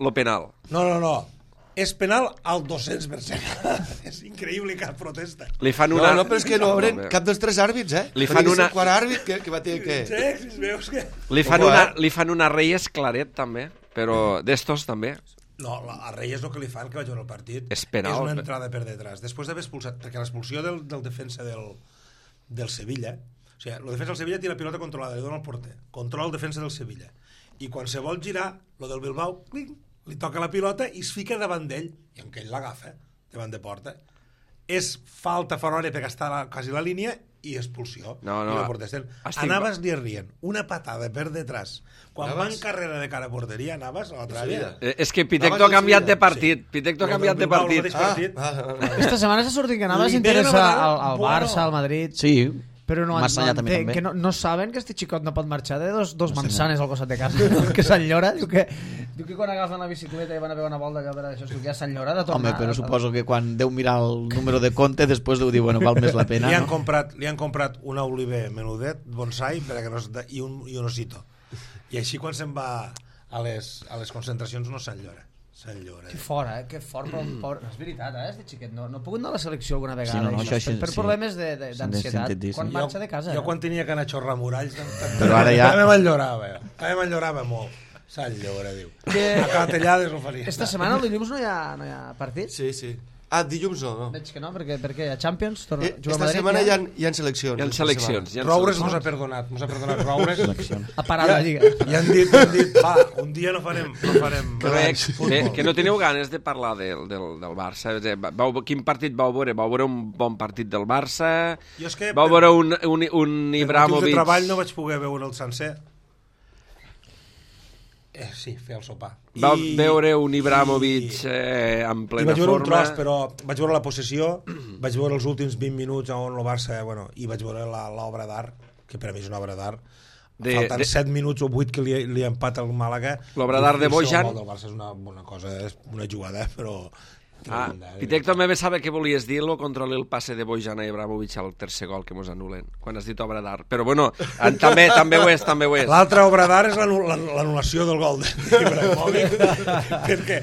lo penal no és penal al 200%. És increïble cap protesta. Li fan una... No, però és que no obren cap dels 3 àrbits, Li fan una... El quart àrbit que va tenir que... Li fan una Reyes Claret, també, però d'estos també. No, a Reyes el que li fan, que va jugar el partit, és penal, és una entrada per detrás. Després d'haver expulsat, perquè l'expulsió del defensa del Sevilla, o sigui, el defensa del Sevilla té la pilota controlada, li dona el porter, controla el defensa del Sevilla, i quan se vol girar, lo del Bilbao, clinc, li toca la pilota i es fica davant d'ell i en què ell l'agafa davant de porta. És falta fora hora perquè està quasi la línia i expulsió. No, I no protesten. estic- A Navas li rient una patada per detrás. Quan va Navas? en carrera de cara a porteria, Navas, a l'altra àrea. És que Pitecto ha canviat de partit. Pitecto ha canviat de partit. Esta setmana s'ha sortit que Navas Li interessa venen a vegades al Barça, al Madrid... Sí, Però no, Massa allà també, entenc, també. que no saben que este xicot no pot marxar de dos manzanes al costat de casa, no? Que s'enllora, diu que quan agafen la bicicleta i van a fer una volta allò per això, que ja s'enllora de tornar. home, però suposo que quan deu mirar el número de compte després deu dir, bueno, val més la pena, Li han no? comprat una oliver menudet, bonsai, per a que no i un osito. I així quan se'n va a les concentracions no s'enllora. Que fora, que fort, però és veritat, este xiquet no ha pogut anar a la selecció alguna vegada, Sí, no, això per sí. problemes d'ansietat, sentit dir, sí. quan marxa de casa. Jo quan tenia que anar a xorrar muralls, Però ara ja- també m'enllorava molt. S'enllora, diu. A Catellades ho faria. Esta setmana, el dilluns, no hi ha partit? Sí, sí. Ah, dilluns no. Veig que no, perquè a Champions torna, juga a Esta Madrid, setmana hi ha seleccions. Hi ha seleccions. Roures mos ha perdonat Roures. ha parat la Lliga. I han dit, va, un dia no farem Que no teniu ganes de parlar del Barça. Quin partit vau veure? Vau veure un bon partit del Barça? Jo és que Vau veure un per motius Ibrahimovic... de treball no vaig poder veure el sencer. Sí, fer el sopar. Vau veure un Ibrahimovic en I plena vaig veure un forma... tros, però vaig veure la possessió, vaig veure els últims 20 minuts on el Barça, i vaig veure l'obra d'art, que per a mi és una obra d'art. Falten 7 minuts o 8 que li empata el Màlaga. L'obra d'art de Bojan. El Barça és una cosa, és una jugada, però... Pitecto també sabe què volies dir-lo, controla el passe de Bojan a Ibrahimovic al tercer gol que mos anulen, quan has dit obra d'art. Però bueno, també ho és. L'altra obra d'art és l'anul·lació del gol d'Ibrahimovic, perquè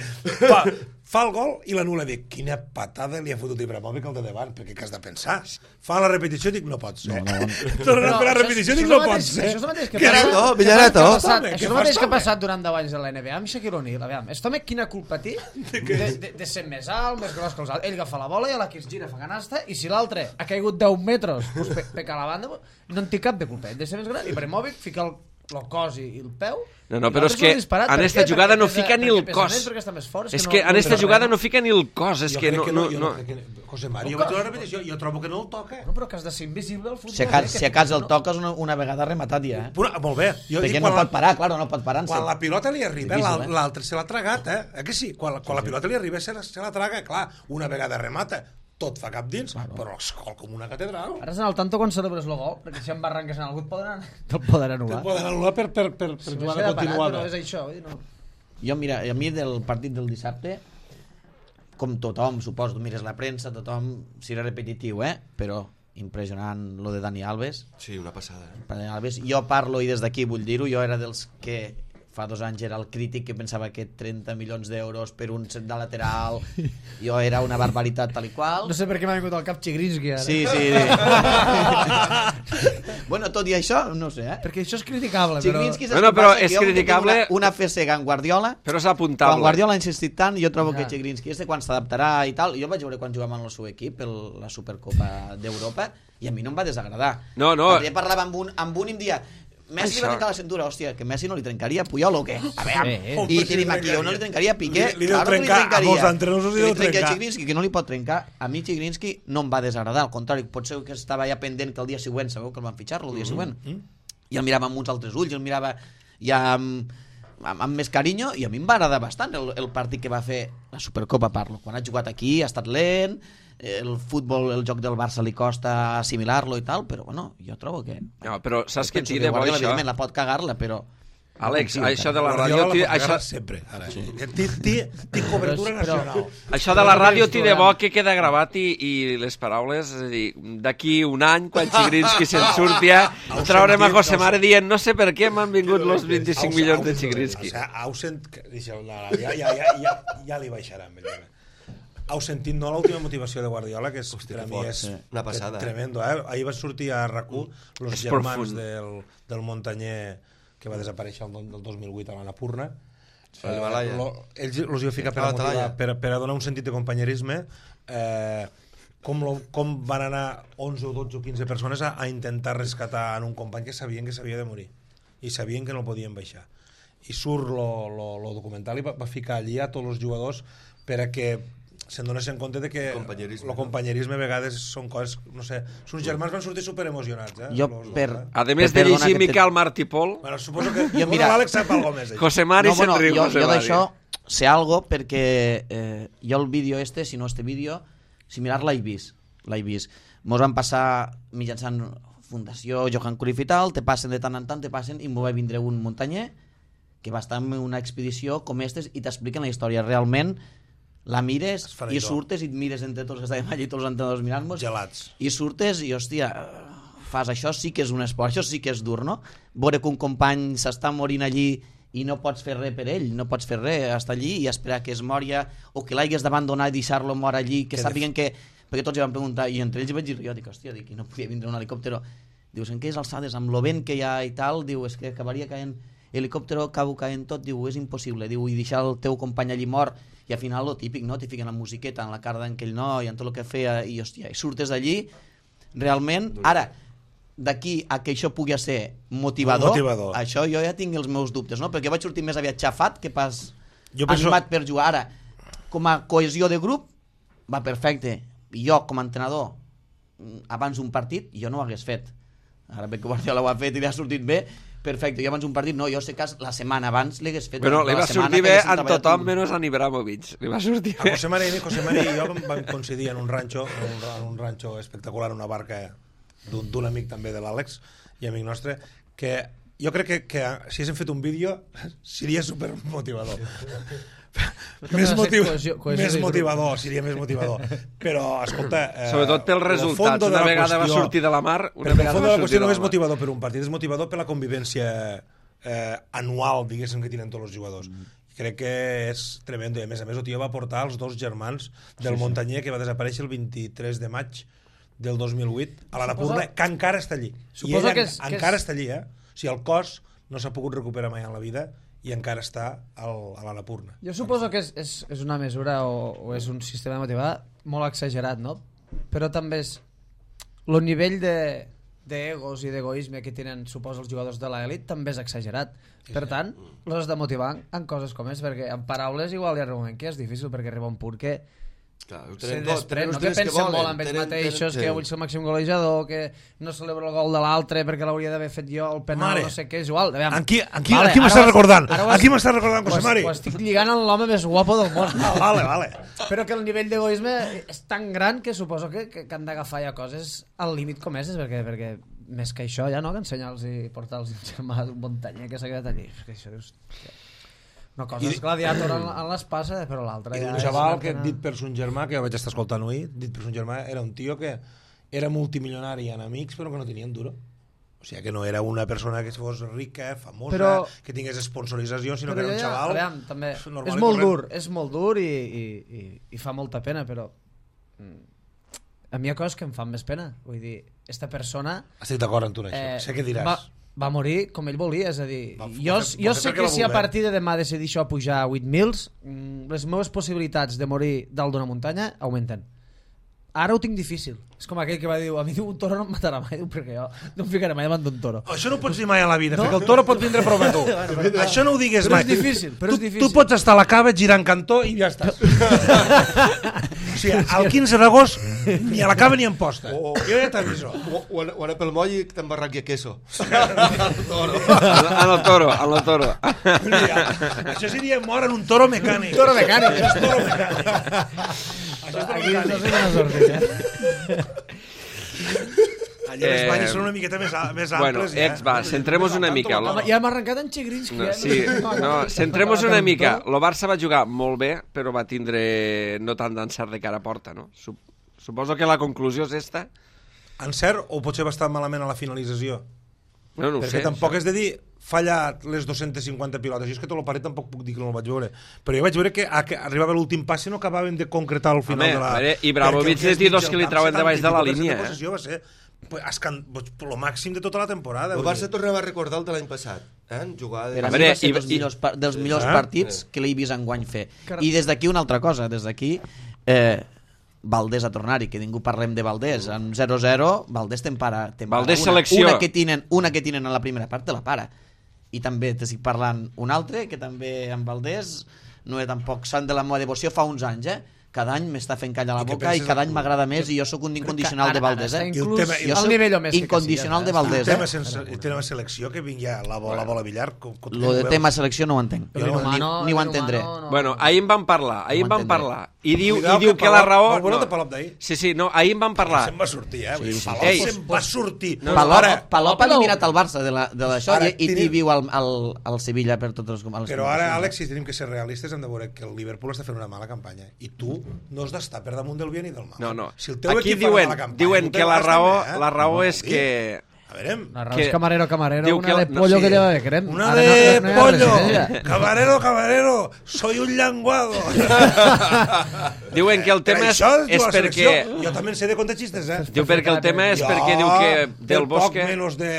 fa el gol i l'anul·la. Dic, quina patada li ha fotut Ibrahimovic al de davant, perquè què has de pensar? Fa la repetició, dic, no pot ser. Torna a fer la repetició, dic, no pot ser. Això és el mateix que Villareto. Això és el mateix que ha passat durant 10 anys a la NBA amb Shaquille O'Neal. Aviam, este home quina culpa té de ser més alt, més gros que els altres. Ell agafa la bola i a la que es gira fa canasta, i si l'altre ha caigut 10 metres peca la banda, no en té cap de culpa. Ell de ser més gran, Ibrahimovic fica el cos i el peu. No, però és que en esta jugada no fica ni el cos. És que en esta jugada no fica ni el cos. És que no... José Mario, jo vaig a la repetició, jo trobo que no el toca. No, però que has de ser invisible al futbol. Si a casa el toques una vegada rematat ja, Molt bé. Perquè no pot parar, claro, no pot parar-se. Quan la pilota li arriba, Difícil, l'altre se l'ha tragat, que sí? Quan la pilota li arriba se la traga, clar, una vegada remata, tot fa cap dins, però escol com una catedral. Ara s'han al tanto quan celebres el gol, perquè si en barranques en algú te'l poden anul·lar. Te'l poden anul·lar per jugada continuada. Però és això, no. Jo, mira, a mi del partit del dissabte, com tothom, suposo, tu mires la premsa, tothom serà repetitiu, però impressionant lo de Dani Alves. Sí, una passada. Dani Alves. Jo parlo, i des d'aquí vull dir-ho, jo era dels que fa 2 anys era el crític que pensava que 30 milions d'euros per un set de lateral jo era una barbaritat tal i qual. No sé per què m'ha vingut al cap Chigrinsky ara. Sí. Bueno, tot i això, no sé, Perquè això és criticable, Chigrinsky però és criticable... una FCG en Guardiola, però és apuntable. Quan Guardiola ha insistit tant, jo trobo que Chigrinsky quan s'adaptarà i tal, jo vaig veure quan jugava en el seu equip la Supercopa d'Europa i a mi no em va desagradar. No. Perquè parlava amb un i em dia Messi li va trencar la cintura, hòstia, que Messi no li trencaria Puyol o què? A veure, i tenim aquí, o no li trencaria Piqué, li deu trencar, a molts entrenadors li deu trencar. Chigrinsky, que no li pot trencar. A mi Chigrinsky no em va desagradar, al contrari, potser que estava ja pendent que el dia següent, sabeu que el van fitxar-lo el dia següent, i el mirava amb uns altres ulls, el mirava ja amb més carinyo, i a mi em va agradar bastant el partit que va fer la Supercopa, parlo. Quan ha jugat aquí ha estat lent, el futbol, el joc del Barça li costa assimilar-lo i tal, però bueno, jo trobo que... No, però saps que té de bo Guardiola, això? evidentment, la pot cagar-la, però... Àlex, això de la ràdio... Això sempre. Té cobertura nacional. Això de la ràdio té de bo que queda gravat i les paraules, és a dir, d'aquí un any, quan Chigrinsky se'n surti, traurem a José Mare dient no sé per què m'han vingut los 25 milions de Chigrinsky. Ja li baixaran. Heu sentit, no, l'última motivació de Guardiola, que per a mi és una passada. Tremendo, Ahir va sortir a RAC1 els germans del Montanyer que va desaparèixer el 2008 a l'Annapurna. Ells els hi va ficar per a donar un sentit de companyerisme, com van anar 11 o 12 o 15 persones a intentar rescatar en un company que sabien que s'havia de morir i sabien que no el podien baixar. I surt lo documental i va ficar allí a tots els jugadors per a que se'n dona en compte de que Companyerisme, el companyerisme a vegades són coses, no sé, uns germans van sortir superemocionats, Jo, a més de llegir Miquel Martí Pol, Bueno, suposo que Jo, mira, l'Àlex sap alguna més. José Mari se'n riu. jo José Mari. d'això sé algo perquè jo el vídeo si no este vídeo, similar l'he vist. Mos van passar mitjançant Fundació Johan Cruyff i tal, te passen de tant en tant, i m'ho va vindre un muntanyer que va estar en una expedició com estes i t'expliquen la història. Realment la mires i surtes i et mires entre tots els que estàvem allí, tots els entrenadors mirant-nos, Gelats. i surtes i, hòstia, fas això, sí que és un esport, això sí que és dur, no? Veure que un company s'està morint allí i no pots fer res per ell, no pots fer res, estar allí i esperar que es moria o que l'hagués d'abandonar i deixar-lo mort allí, que sàpiguen que... Perquè tots hi van preguntar, i entre ells vaig dir, jo dic, hòstia, dic, no podia vindre un helicòptero. Dius, en què és alçades, amb lo vent que hi ha i tal, diu, és que acabaria caent helicòptero, acabo caent tot, diu, és impossible, diu, i deixar el teu company allí mort, i al final lo típic, no? T'hi fiquen la musiqueta en la cara d'aquell noi, en tot el que feia, i hòstia, i surtes d'allí, realment, ara, d'aquí a que això pugui ser motivador, això jo ja tinc els meus dubtes, no? Perquè vaig sortir més aviat xafat que pas animat per jugar. Ara, com a cohesió de grup, va perfecte. I jo, com a entrenador, abans d'un partit, jo no ho hagués fet. Ara bé que Guardiola ho ha fet i li ha sortit bé, perfecte. Jo abans d'un partit, no, jo sé que la setmana abans li hagués fet... Però li va sortir bé a tothom menys a Ibrahimovic. Li va sortir bé. José Mari i jo vam coincidir en un ranxo espectacular, una barca d'un amic també de l'Àlex i amic nostre, que jo crec que si haguéssim fet un vídeo seria supermotivador. Més motivador, seria més motivador. Però, escolta... Sobretot pel resultat. Una vegada va sortir de la mar... El fons de la qüestió no és motivador per un partit, és motivador per la convivència anual, diguéssim, que tenen tots els jugadors. Crec que és tremendo. I a més, el tio va portar els dos germans del muntanyer que va desaparèixer el 23 de maig del 2008 a l'Annapurna, que encara està allí. I ell encara està allí, O sigui, el cos no s'ha pogut recuperar mai en la vida i encara està a l'Annapurna. Jo suposo que és una mesura o és un sistema de motivar molt exagerat, no? Però també és el nivell d'egos i d'egoisme que tenen, suposo, els jugadors de l'elit també és exagerat. Per tant, els has de motivar en coses com és, perquè en paraules igual hi ha un moment que és difícil, perquè arriba un punt que se desprèn, no que pensen molt amb ells mateixos, que vull ser el màxim golejador, que no celebro el gol de l'altre perquè l'hauria d'haver fet jo, el penal, no sé què, és igual. Aquí m'estàs recordant? Aquí m'estàs recordant, José Mari? Ho estic lligant amb l'home més guapo del món. Vale. Però que el nivell d'egoisme és tan gran que suposo que han d'agafar ja coses al límit com és, perquè més que això ja no, que ensenyar-los i portar-los un germà d'un muntanyer que s'ha quedat allí. Perquè això dius... Una cosa és gladiator en l'espasa, però l'altra... I un xaval que, dit per son germà, que jo vaig estar escoltant avui, dit per son germà, era un tio que era multimilionari en amics, però que no tenien duro. O sigui, que no era una persona que fos rica, famosa, que tingués sponsorització, sinó que era un xaval... Aviam, també, és molt dur i fa molta pena, però a mi hi ha coses que em fan més pena. Vull dir, esta persona... Estic d'acord amb tu en això, sé què diràs. Va morir com ell volia, és a dir, jo sé que si a partir de demà decideixo pujar a 8.000, les meves possibilitats de morir dalt d'una muntanya augmenten. Ara ho tinc difícil. És com aquell que va dir, a mi un toro no em matarà mai, perquè jo no em ficaré mai davant d'un toro. Això no ho pots dir mai a la vida, perquè el toro pot vindre a prova tu. Això no ho digues mai. Però és difícil, Tu pots estar a la cava girant cantó i ja estàs. O sigui, el 15 d'agost ni a la cava ni en posta. Jo ja t'aviso. O anar pel moll i t'embarraqui a queso. En el toro. Això seria mort en un toro mecànic. Toro mecànic. Això és toro mecànic. Aquí no sé una sortida. Allà les banyes són una miqueta més amples. Bueno, centrem-nos una mica. Ja hem arrencat en Chigrinsky. Centrem-nos una mica. El Barça va jugar molt bé, però va tindre no tant d'encert de cara a porta, no? Suposo que la conclusió és esta. Encert o potser va estar malament a la finalització? No ho sé. Perquè tampoc és de dir fallat les 250 pilotes. Jo és que tot el partit tampoc puc dir que no el vaig veure. Però jo vaig veure que arribava l'últim passe i no acabàvem de concretar al final de la... Ibrahimovic és de dos que li trauen de baix de la línia. Va ser el màxim de tota la temporada. El Barça tornava a recordar el de l'any passat. Per a mi va ser dels millors partits que l'he vist enguany fer. I des d'aquí una altra cosa. Des d'aquí... Valdés a tornar-hi, que ningú parlem de Valdés. En 0-0, Valdés t'empara Valdés selecció. Una que tenen a la primera part te la para. I també t'estic parlant un altre, que també amb Valdés no era tampoc sant de la meva devoció fa uns anys, cada any m'està fent callar la I què boca i penses cada de- any m'agrada més i jo sóc un incondicional de Valdés, Ara eh? està inclús I el tema- al nivell o més que incondicional de Casillas, Valdés, tema, eh? el tema selecció, que vingui a la bola billar... Lo de tema selecció no ho entenc. El humano, Ni ho el entendré. humano, no. Bueno, ahir en vam parlar, I diu que la raó... El bueno de Palop d'ahir. Sí, no, ahir en vam parlar. Se'n va sortir, eh? Sí, sí. Palop Ei, se'n va sortir. Palop ha eliminat el Barça de d'això Ara i tenim- viu al Sevilla per totes les Però ara, Àlex, si tenim que ser realistes, hem de veure que el Liverpool està fent una mala campanya. I tu no has d'estar per damunt del bien i del mal. No. Si el teu Aquí equip fa una diuen, mala campanya, diuen tu que la vas raó, també, eh? la raó No, és vol dir. que... A veure, La raó que- és camarero, diu que una la- de no, pollo sí. que lleva de crem. una Ara de no hi ha pollo. res d'ella. Camarero, soy un llanguado. Diuen que el tema és la perquè... selecció. Jo també en sé de contar xistes, eh? Diu perquè el tema és perquè diu que del Bosque... Poc menys de...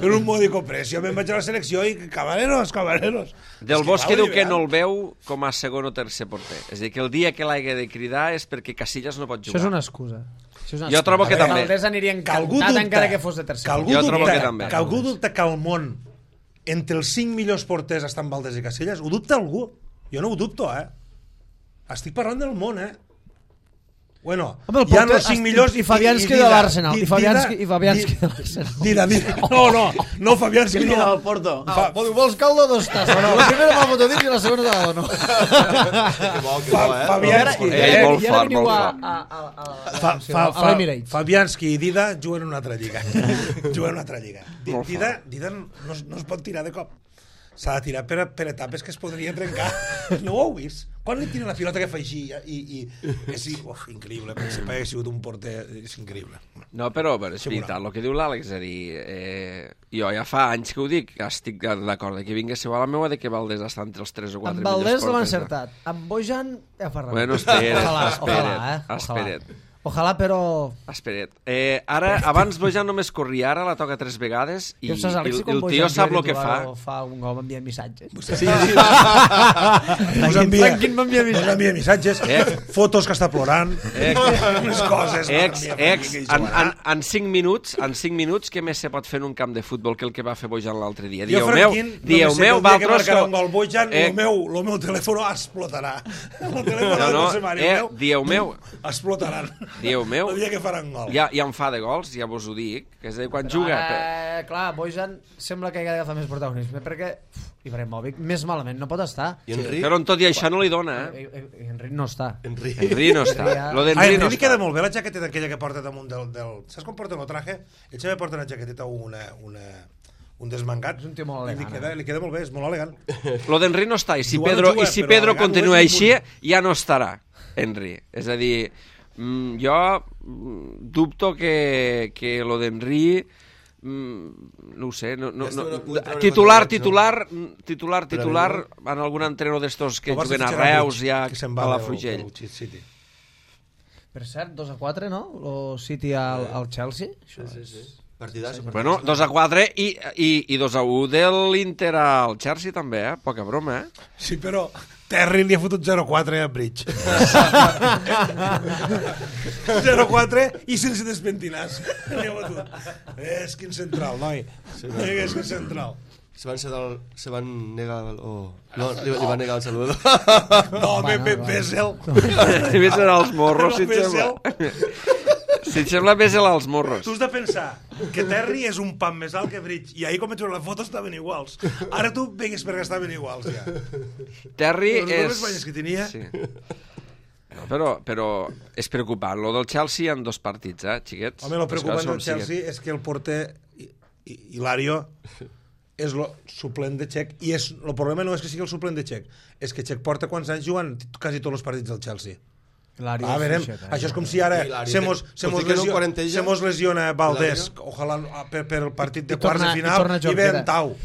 per un módico precio. Me'n vaig a la selecció i camareros. Del Bosque diu que no el veu com a segon o tercer porter. És a dir, que el dia que l'hagi de cridar és perquè Casillas no pot Això és jugar. una excusa. Això és una Jo trobo que A veure, també. Valdés aniria Que algú encantat dubta, encara que fos de tercer. Jo trobo que també. Que algú dubta que al món, entre els 5 millors porters estan Valdés i Casillas, ho dubta algú? Jo no ho dubto, eh? Estic parlant del món, eh? Bueno, Home, el hi ha porter- els 5 millors i Fabianski de l'Arsenal, i Fabianski de l'Arsenal. Dida. No, Fabianski Qui no. del Porto? Vols caldo dos tasses, no? La primera va Botodín i la segona de la no. Fabianski. Molt fort, molt fort. A l'Emirates. Fabianski i Dida juguen en una altra lliga. Juguen en una altra lliga. Dida no es pot tirar de cop. S'ha de tirar per etapes que es podria trencar. No ho heu vist? Quan li tira la pilota que fa així i és increïble, perquè si hagués sigut un porter és increïble. No, però és veritat, el que diu l'Àlex, és a dir, jo ja fa anys que ho dic, estic d'acord que vinguéssiu a la meua de que Valdés està entre els 3 o 4 Amb millors Valdés l'han porters. encertat. Amb Bojan ja fa res. Bueno, espera't, Ojalà. Ojalà, però... Espera't. Ara, abans Bojan només corria, ara la toca 3 vegades i Què saps, Àlex, el tio sap el que fa. Fa un gol, m'envia missatges. Sí. Us m'envia missatges. Missatges, fotos que està plorant, unes coses. En 5 minuts, què més se pot fer en un camp de futbol que el que va fer Bojan l'altre dia? Jo, Franquín, dieu meu, que Valtros... marcarà un gol Bojan, el meu telèfon explotarà. El telèfon dieu meu, explotaran. Dieu meu, El dia que faran gol. ja en fa de gols, ja vos ho dic, que és de quan juga... Clar, Bojan sembla que ha d'agafar més protagonisme, perquè Ibrahimovic més malament no pot estar. I Henry? Però tot i això no li dona, eh? Enric no està. Henry no està. Lo A d'Henry no Henry li queda està. molt bé la jaqueteta aquella que porta damunt del... Saps com porta el traje? Ell també porta una jaqueteta un desmangat. És un tio molt elegant. Li queda molt bé, és molt elegant. Lo d'Henry no està, i si Igual Pedro, juga, i si però Pedro elegant continua ho és així, un ja no estarà, Henry. És a dir, jo dubto que lo d'Henry no ho sé, titular en algun entrenador d'estos que juguen a Reus ja a la Frugell. Per cert, 2-4, no? El City al Chelsea. Partidàs. Bueno, 2-4 i 2-1 de l'Inter al Chelsea també, poca broma, Sí, però Terry li ha fotut 0-4 a Bridge. 0-4 i sense despentinars. És quin central, noi. És quin central. Se van negar... No, li van negar el saludo. No, Bessel. Més era als morros, si et sembla. Si et sembla, Bessel als morros. Tu has de pensar que Terry és un pan més alt que Bridge i ahir quan vaig veure la foto estaven iguals. Ara tu vegues perquè estaven iguals, ja. Terry Les és... dues banyes que tenia... Sí. No, però és preocupant. Lo del Chelsea en 2 partits, xiquets? Home, el preocupant Les del coses com Chelsea és que el porter Hilario és el suplent de Txec i el problema no és que sigui el suplent de Txec, és que Txec porta quants anys jugant quasi tots els partits del Chelsea. Verem, això és com si ara se mos lesiona Valdés, ojalà per el partit de quarts de final, i ve en Tau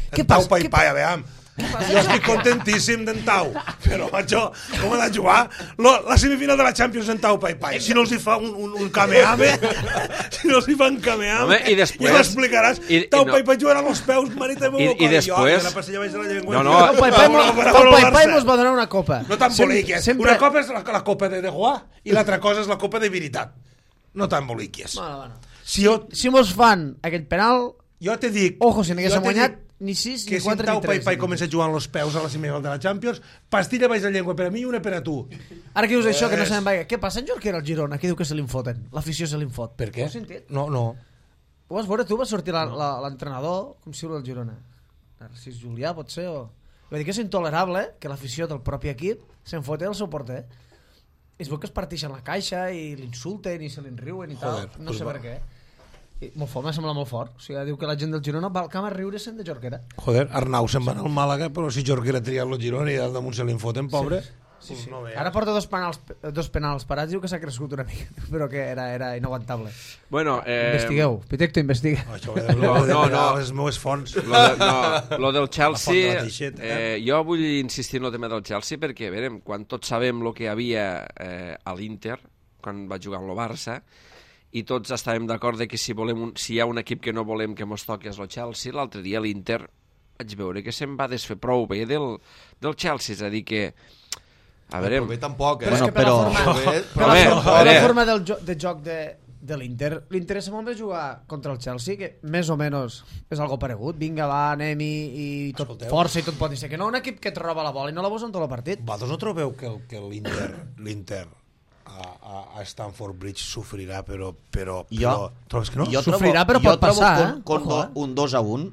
Pai, a veure, jo estic contentíssim d'en Tau, però això, com ha de jugar la semifinal de la Champions en Tau Pai, si no els hi fa un Kamehameha, si no els hi fa un Kamehameha, i després... ja m'explicaràs, Tau Pai jugarà amb els peus, manita de i després... Tau Pai mos va donar una copa. No t'emboliquies. Una copa és la copa de Juà i l'altra cosa és la copa de veritat. No t'emboliquies. Si mos fan aquell penal, jo te dic... ojo, si n'haguéssim guanyat, ni 6, que ni 4, si ni Tau 3. Pai comença jugant els peus a la semifinal de la Champions, pastilla baix de llengua per a mi i una per a tu. Ara que dius això, que no sabem vaga. Què passa en Jorquera al Girona? Qui diu que se li foten? L'afició se li fot. Per què? Ho has sentit? No. Ho vas veure tu? Va sortir l'entrenador, com si el Girona. Narcís Julià, pot ser? Va dir que és intolerable que l'afició del propi equip se'n fote el seu porter. I es veu que es parteixen la caixa i l'insulten i se l'inriuen i tal. No sé per què. I molt fort, m'ha semblat molt fort. O sigui, diu que la gent del Girona va al camp a riure-se'n de Jorquera. Joder, Arnau se'n va anar al Màlaga, però si Jorquera tria el Girona i al damunt se li foten, pobre. Sí. No Ara porta dos penals parats, diu que s'ha crescut una mica, però que era inaguantable. Bueno, Investigueu, Pitecto investiga. Això ho he de les meves fonts. Lo del Chelsea, La font de la Teixeta. jo vull insistir en el tema del Chelsea perquè, a veure, quan tots sabem el que hi havia a l'Inter, quan va jugar amb el Barça, i tots estàvem d'acord de que si hi ha un equip que no volem que mos toqui és el Chelsea, l'altre dia l'Inter vaig veure que se'n va desfer prou bé del Chelsea, és a dir que a veure... Però bé tampoc, Però és que per la forma de joc de l'Inter, li interessa molt més jugar contra el Chelsea, que més o menys és algo paregut. Vinga, va, anem-hi, i tot Escolteu. força i tot pot ser. Que no un equip que et roba la bola i no la posa en tot el partit. Vosaltres no trobeu que l'Inter a Stamford Bridge sofrirà, però trobes que no? Sofrirà, però pot passar, Con Ojo, un 2-1,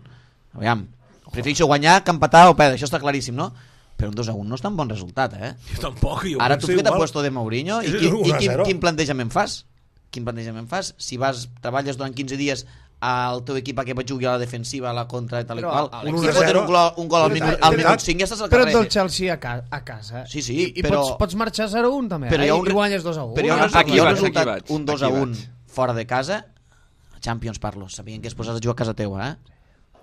aviam, prefereixo guanyar que empatar o perdre, això està claríssim, no? Però un 2-1 no és tan bon resultat, eh? Jo tampoc, jo Ara tu penso que t'ha igual. puesto de Mourinho i És un 1-0. quin plantejament fas? Si treballes durant 15 dies al teu equip que jugui a la defensiva, a la contra i tal i Però, qual, Àlex, si foten un gol al minut 5 ja estàs al Però carrer. ets del Chelsea a casa. Sí, I però... pots marxar 0-1 també, Però hi ha un i guanyes 2-1. Però hi ha Aquí un vaig, resultat, aquí vaig, un aquí 2-1 vaig. fora de casa, Champions parlo, sabien que es posàs a jugar a casa teua,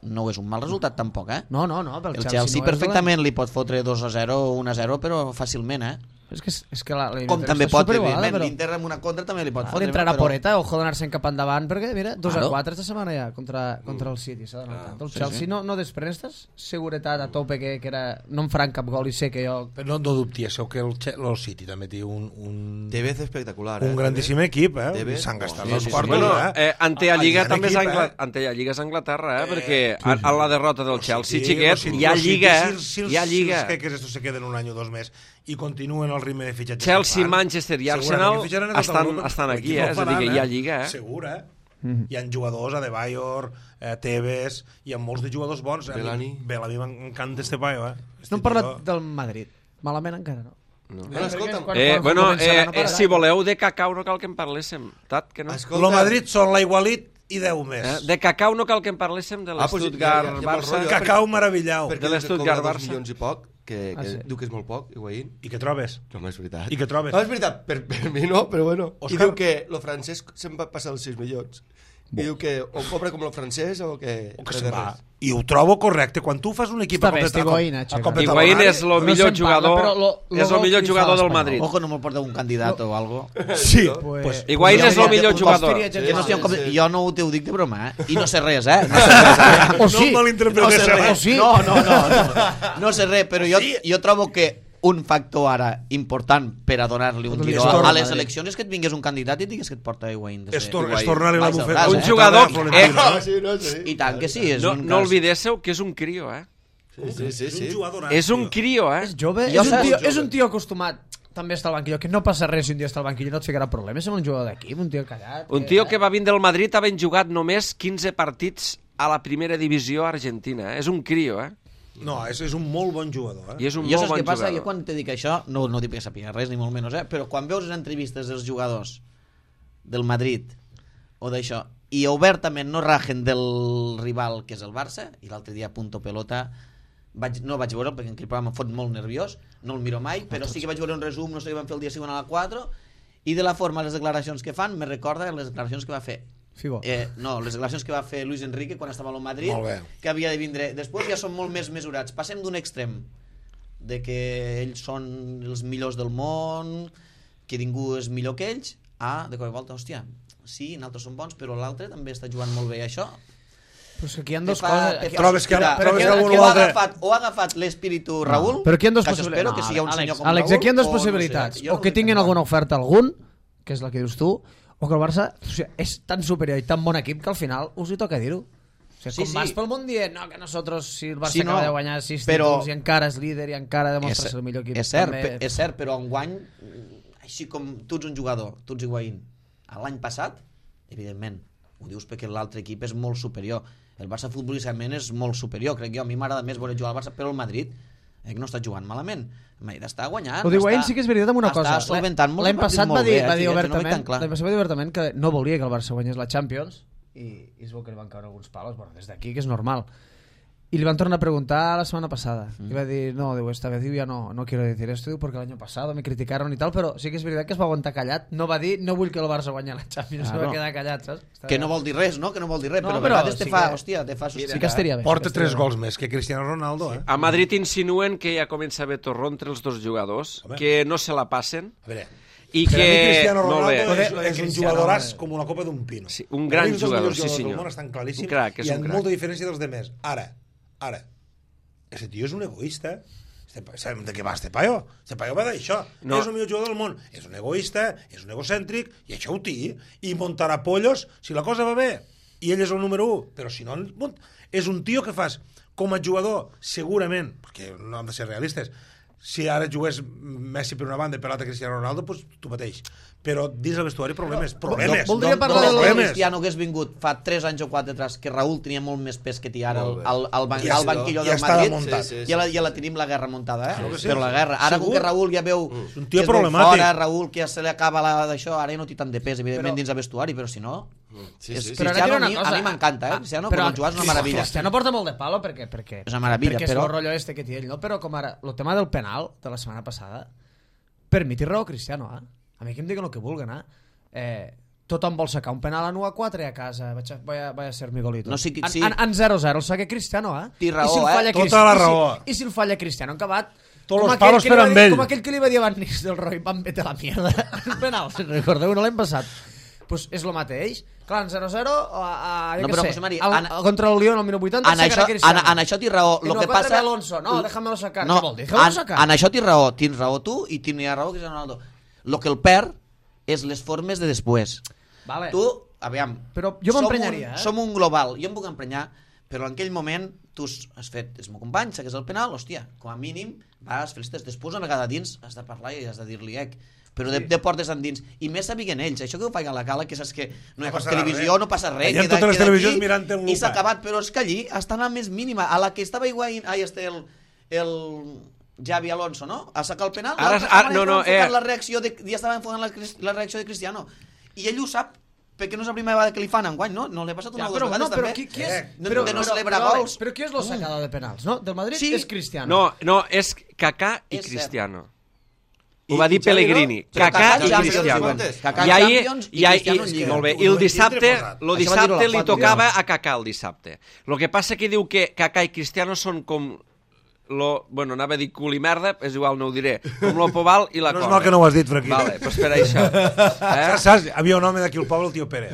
no és un mal resultat tampoc, No, pel El Chelsea Chelsea no és perfectament li pot fotre 2-0 o 1-0, però fàcilment, És que la Com també pot, evidentment, però... l'Inter amb una contra també li pot Pot fotre. entrar a però- Poreta, ojo d'anar-se'n cap endavant, perquè mira, 2-4 Claro. esta setmana ja contra el City, s'ha d'anar. El sí, Chelsea sí. no desprestes seguretat a tope que era, no em faran cap gol i sé que jo... Però no dubti, això que el City també té un Tevez espectacular, un grandíssim equip, Tevez, S'han gastat sí, els sí, quartos, Bueno, eh? ante la Lliga Hi ha també és equip, ante la Lliga és Anglaterra, perquè a la derrota del Chelsea, Sí, xiquet, sí, hi ha sí, Lliga, Si hi ha Lliga. els jeques estos se queden un any o dos més i continuen el ritme de fitxatges Chelsea, que fan, Manchester i segurament Arsenal que fitxaran a tot Europa, estan però aquí, no ho és a dir, que faran, hi ha Lliga, Segur, Hi ha jugadors, Adebayor, Tevez, hi ha molts de jugadors bons. Bellamy. Bellamy m'encanta este paio, No hem parlat del Madrid. Malament encara no. Bueno, escolta'm, Bueno, començarà, no pararà. si voleu de cacau no cal que en parléssim, Tat, que no? El Madrid són l'Aigualit i 10 més. De cacau no cal que en parléssim de pues l'Stuttgart ja vol Barça. rotllo, Cacau meravillau. perquè de l'Stuttgart cobra 2 Barça. milions i poc, que sí. diu que és molt poc, Higuaín. I què trobes? No, és veritat. I què trobes? No, és veritat, per mi no, però bueno. Òscar. I diu que lo francès se'n va passar els 6 milions. I diu que o cobra com el francès o que... O que se'n va. I ho trobo correcte. Quan tu fas un equip Està bé, este Higuaín, Xavi. Higuaín és el millor se'n parla, jugador, però lo és el gol millor que li fa jugador del l'Espanyol. Madrid. Ojo, no me'l porta un candidat o algo. Sí, Pues, Higuaín és el millor jugador. Que no sé, sí. jo no ho t'ho dic de broma, I no sé res, No sé res, O sí, No malinterpretes, no sé res. o sí. No sé res, però jo trobo que un factor ara important per a donar-li un giro torna- a les eleccions és que et vingués un candidat i digués que et porta Higuaín. és tornar-li la Vaig al bufeta. braç, Un jugador... No, sí, no, sí. I tant que sí, és No, un no cas. olvidéssiu que és un crio, Sí. És un jugador És un crio, És jove, Jo és un, saps- tio, és un tio acostumat també a estar al banquillo, que no passa res si un dia està al banquillo, no et ficarà problemes, és un jugador d'equip, un tio callat. Un tio que va vindre al Madrid havent jugat només 15 partits a la primera divisió argentina. És un crio, No, és un molt bon jugador. I és un Jo molt saps bon què passa? jugador. Jo quan te dic això, no dic que sàpiga res, ni molt menys, però quan veus les entrevistes dels jugadors del Madrid o d'això, i obertament no rajen del rival que és el Barça, i l'altre dia punto pelota no vaig veure perquè aquell programa em fot molt nerviós, no el miro mai, però sí que vaig veure un resum, no sé què van fer el dia següent a la 4, i de la forma les declaracions que fan me recorda les declaracions que va fer Figo. no, les declaracions que va fer Luis Enrique quan estava al Madrid, Molt bé. que havia de vindre després, ja són molt més mesurats. Passem d'un extrem de que ells són els millors del món, que ningú és millor que ells, a de cop i volta, hòstia, sí, nosaltres som bons, però l'altre també està jugant molt bé això. Però és que aquí hi ha dos coses... Aquí, Trobes que algú o altre... ha agafat l'espíritu Raúl, però aquí hi ha dos que això espero possibilitats. que sigui un senyor com Àlex, Raúl, aquí hi ha dos o possibilitats. No sé, jo O que no tinguin sé. alguna oferta algun, que és la que dius tu, o que el Barça és tan superior i tan bon equip que al final us hi toca dir-ho. O sigui, com vas pel món dient, no, que nosotros, si el Barça Sí, no, acaba de guanyar 6 però- títols i encara és líder i encara demostra ser el millor equip. És cert, també... és cert, però enguany, així com tu ets un jugador, tu ets Higuaín, l'any passat, evidentment, ho dius perquè l'altre equip és molt superior. El Barça futbolísticament és molt superior, crec jo. A mi m'agrada més veure jugar al Barça, però el Madrid no està jugant malament. El Madrid està guanyant. Ho diu Higuaín, sí que és veritat amb una cosa. Està solventant molts L'any partits passat molt va dir, bé, va dir jo no ho veig obertament, tan clar. l'any passat va dir obertament que no volia que el Barça guanyés la Champions i es veu que li van caure alguns palos, bueno, des d'aquí, que és normal. Y le van a tornar a preguntar la semana pasada. Iba a decir, no, digo, esta vez digo, ya no quiero decir esto, digo, porque el año pasado me criticaron y tal, pero sí que es verdad que es va aguantar callat. No va dir, no vull que el Barça guanyi la Champions, se va quedar callat, saps? Que no vol dir res, no? Que no vol dir res, No, però a però vegades te sí fa, que- hòstia, te fa sospitar. Sí que estaria bé. Porta sí que 3 estaria gols més que Cristiano Ronaldo, eh? A Madrid insinuen que ja comença a haver torró entre els dos jugadors, Home. que no se la passen A veure, i per a mi que... Cristiano Molt bé. Ronaldo Lo de és un Cristiano, jugadoràs eh. com una copa d'un pino. Sí, un gran Per a mi és dels jugador, millors sí, jugadors senyor. del món, estan claríssims, Un crac, és i un amb crac. molta diferència dels demés. Ara, ese tio és un egoista. Sabem de què va este paio? Este paio va d'això. No. És el millor jugador del món. És un egoista, és un egocèntric, i això ho té. I muntarà pollos si la cosa va bé. I ell és el número 1. Però si no, és un tio que fas com a jugador, segurament, perquè no hem de ser realistes, si ara jugués Messi per una banda i per l'altra Cristiano Ronaldo, doncs tu mateix. Però dins el vestuari problemes. voldria parlar de problemes. Cristiano hagués vingut fa 3 anys o 4 atràs, que Raúl tenia molt més pes que té ara Molt bé. al Ja banquillo ja del està Madrid, muntat. Sí, sí. ja la tenim la guerra muntada, eh? Claro que sí. Però la guerra. Ara, com Segur. que Raúl ja veu un que tio es veu problemàtic. fora, Raúl que ja se li acaba d'això, ara ja no té tant de pes, evidentment, Però- dins el vestuari, però si no... Sí, és- sí, sí. Però ara Cristiano diré una cosa. a mi m'encanta, Cristiano, Però quan jugar és una meravella. Cristiano porta molt de palo perquè És una meravella, perquè és però- el rotllo este que té ell, no? Però com ara, el tema del penal de la setmana passada, per mi té raó Cristiano, eh? A mi que em diguen el que vulguen, tothom vol sacar un penal en 1-4 i a casa vaya a ser mi golito. No, sí, sí. En 0-0 el saca Cristiano, eh? Té raó, I si el falla Tota la raó. I si el falla Cristiano en acabat, Tots com los aquell palos que li per va amb dir- ell. Com aquell que li va dir a Van Nistelrooy, van vete a la mierda. El penal, si recordeu, no l'any passat. Pues és el mateix. Clar, en 0-0, jo No, què però, sé, José Mari, contra el Lyon al minut 80 En sacarà això, Cristiano. en això té raó. I Lo no que contra passa... Alonso, no, déjamelo sacar. No, Què vol dir? Déjamelo sacar. en això tens raó tu i tenia raó Cristiano Ronaldo. Lo que el perd és les formes de després. Vale. Tu, aviam... Però jo m'emprenyaria, Som un global, jo em puc emprenyar, però en aquell moment tu has fet, és meu company, saques el penal, hòstia, com a mínim vas, felicites, després una vegada dins has de parlar i has de dir-li però de portes endins, i més sabien ells això que ho faig a la cala, que saps que no hi ha No cap passarà televisió, res. no passa res, Allà en totes les queda televisions aquí, mirant-te en i s'ha lupa. acabat, però és que allí estan a més mínima, a la que estava Higuaín, el Xavi Alonso, no? A sacar el penal, Ara- l'altre ara- setmana no, no, estava enfocant la reacció ja estava enfocant la reacció de Cristiano, i ell ho sap, perquè no és la primera vegada que li fan enguany, no? No li ha passat una Ja, o dues però, vegades, no, però també. qui és? De no celebrar però, gols. Però qui és el sacador de penals, no? Del Madrid Sí. és Cristiano. No, és Kaká i És cert. Cristiano. I- Ho va dir i Xavi, Pellegrini. no? Però Kaká Kaká i Champions, Cristiano. Champions. Kaká I ahir, Champions i Cristiano en Lliga. molt bé. I Ho el vam dissabte, tindre lo Això va dir-ho dissabte la li Fat, tocava a Kaká el dissabte. Lo que passa que diu que Kaká i Cristiano són com bueno, anava a dir cul i merda, és igual, no ho diré, com lo Pobal i la No és Corda. mal que no ho has dit, Fraquí. Vale, doncs per això. Saps? Havia un home d'aquí al poble, el tio Pere.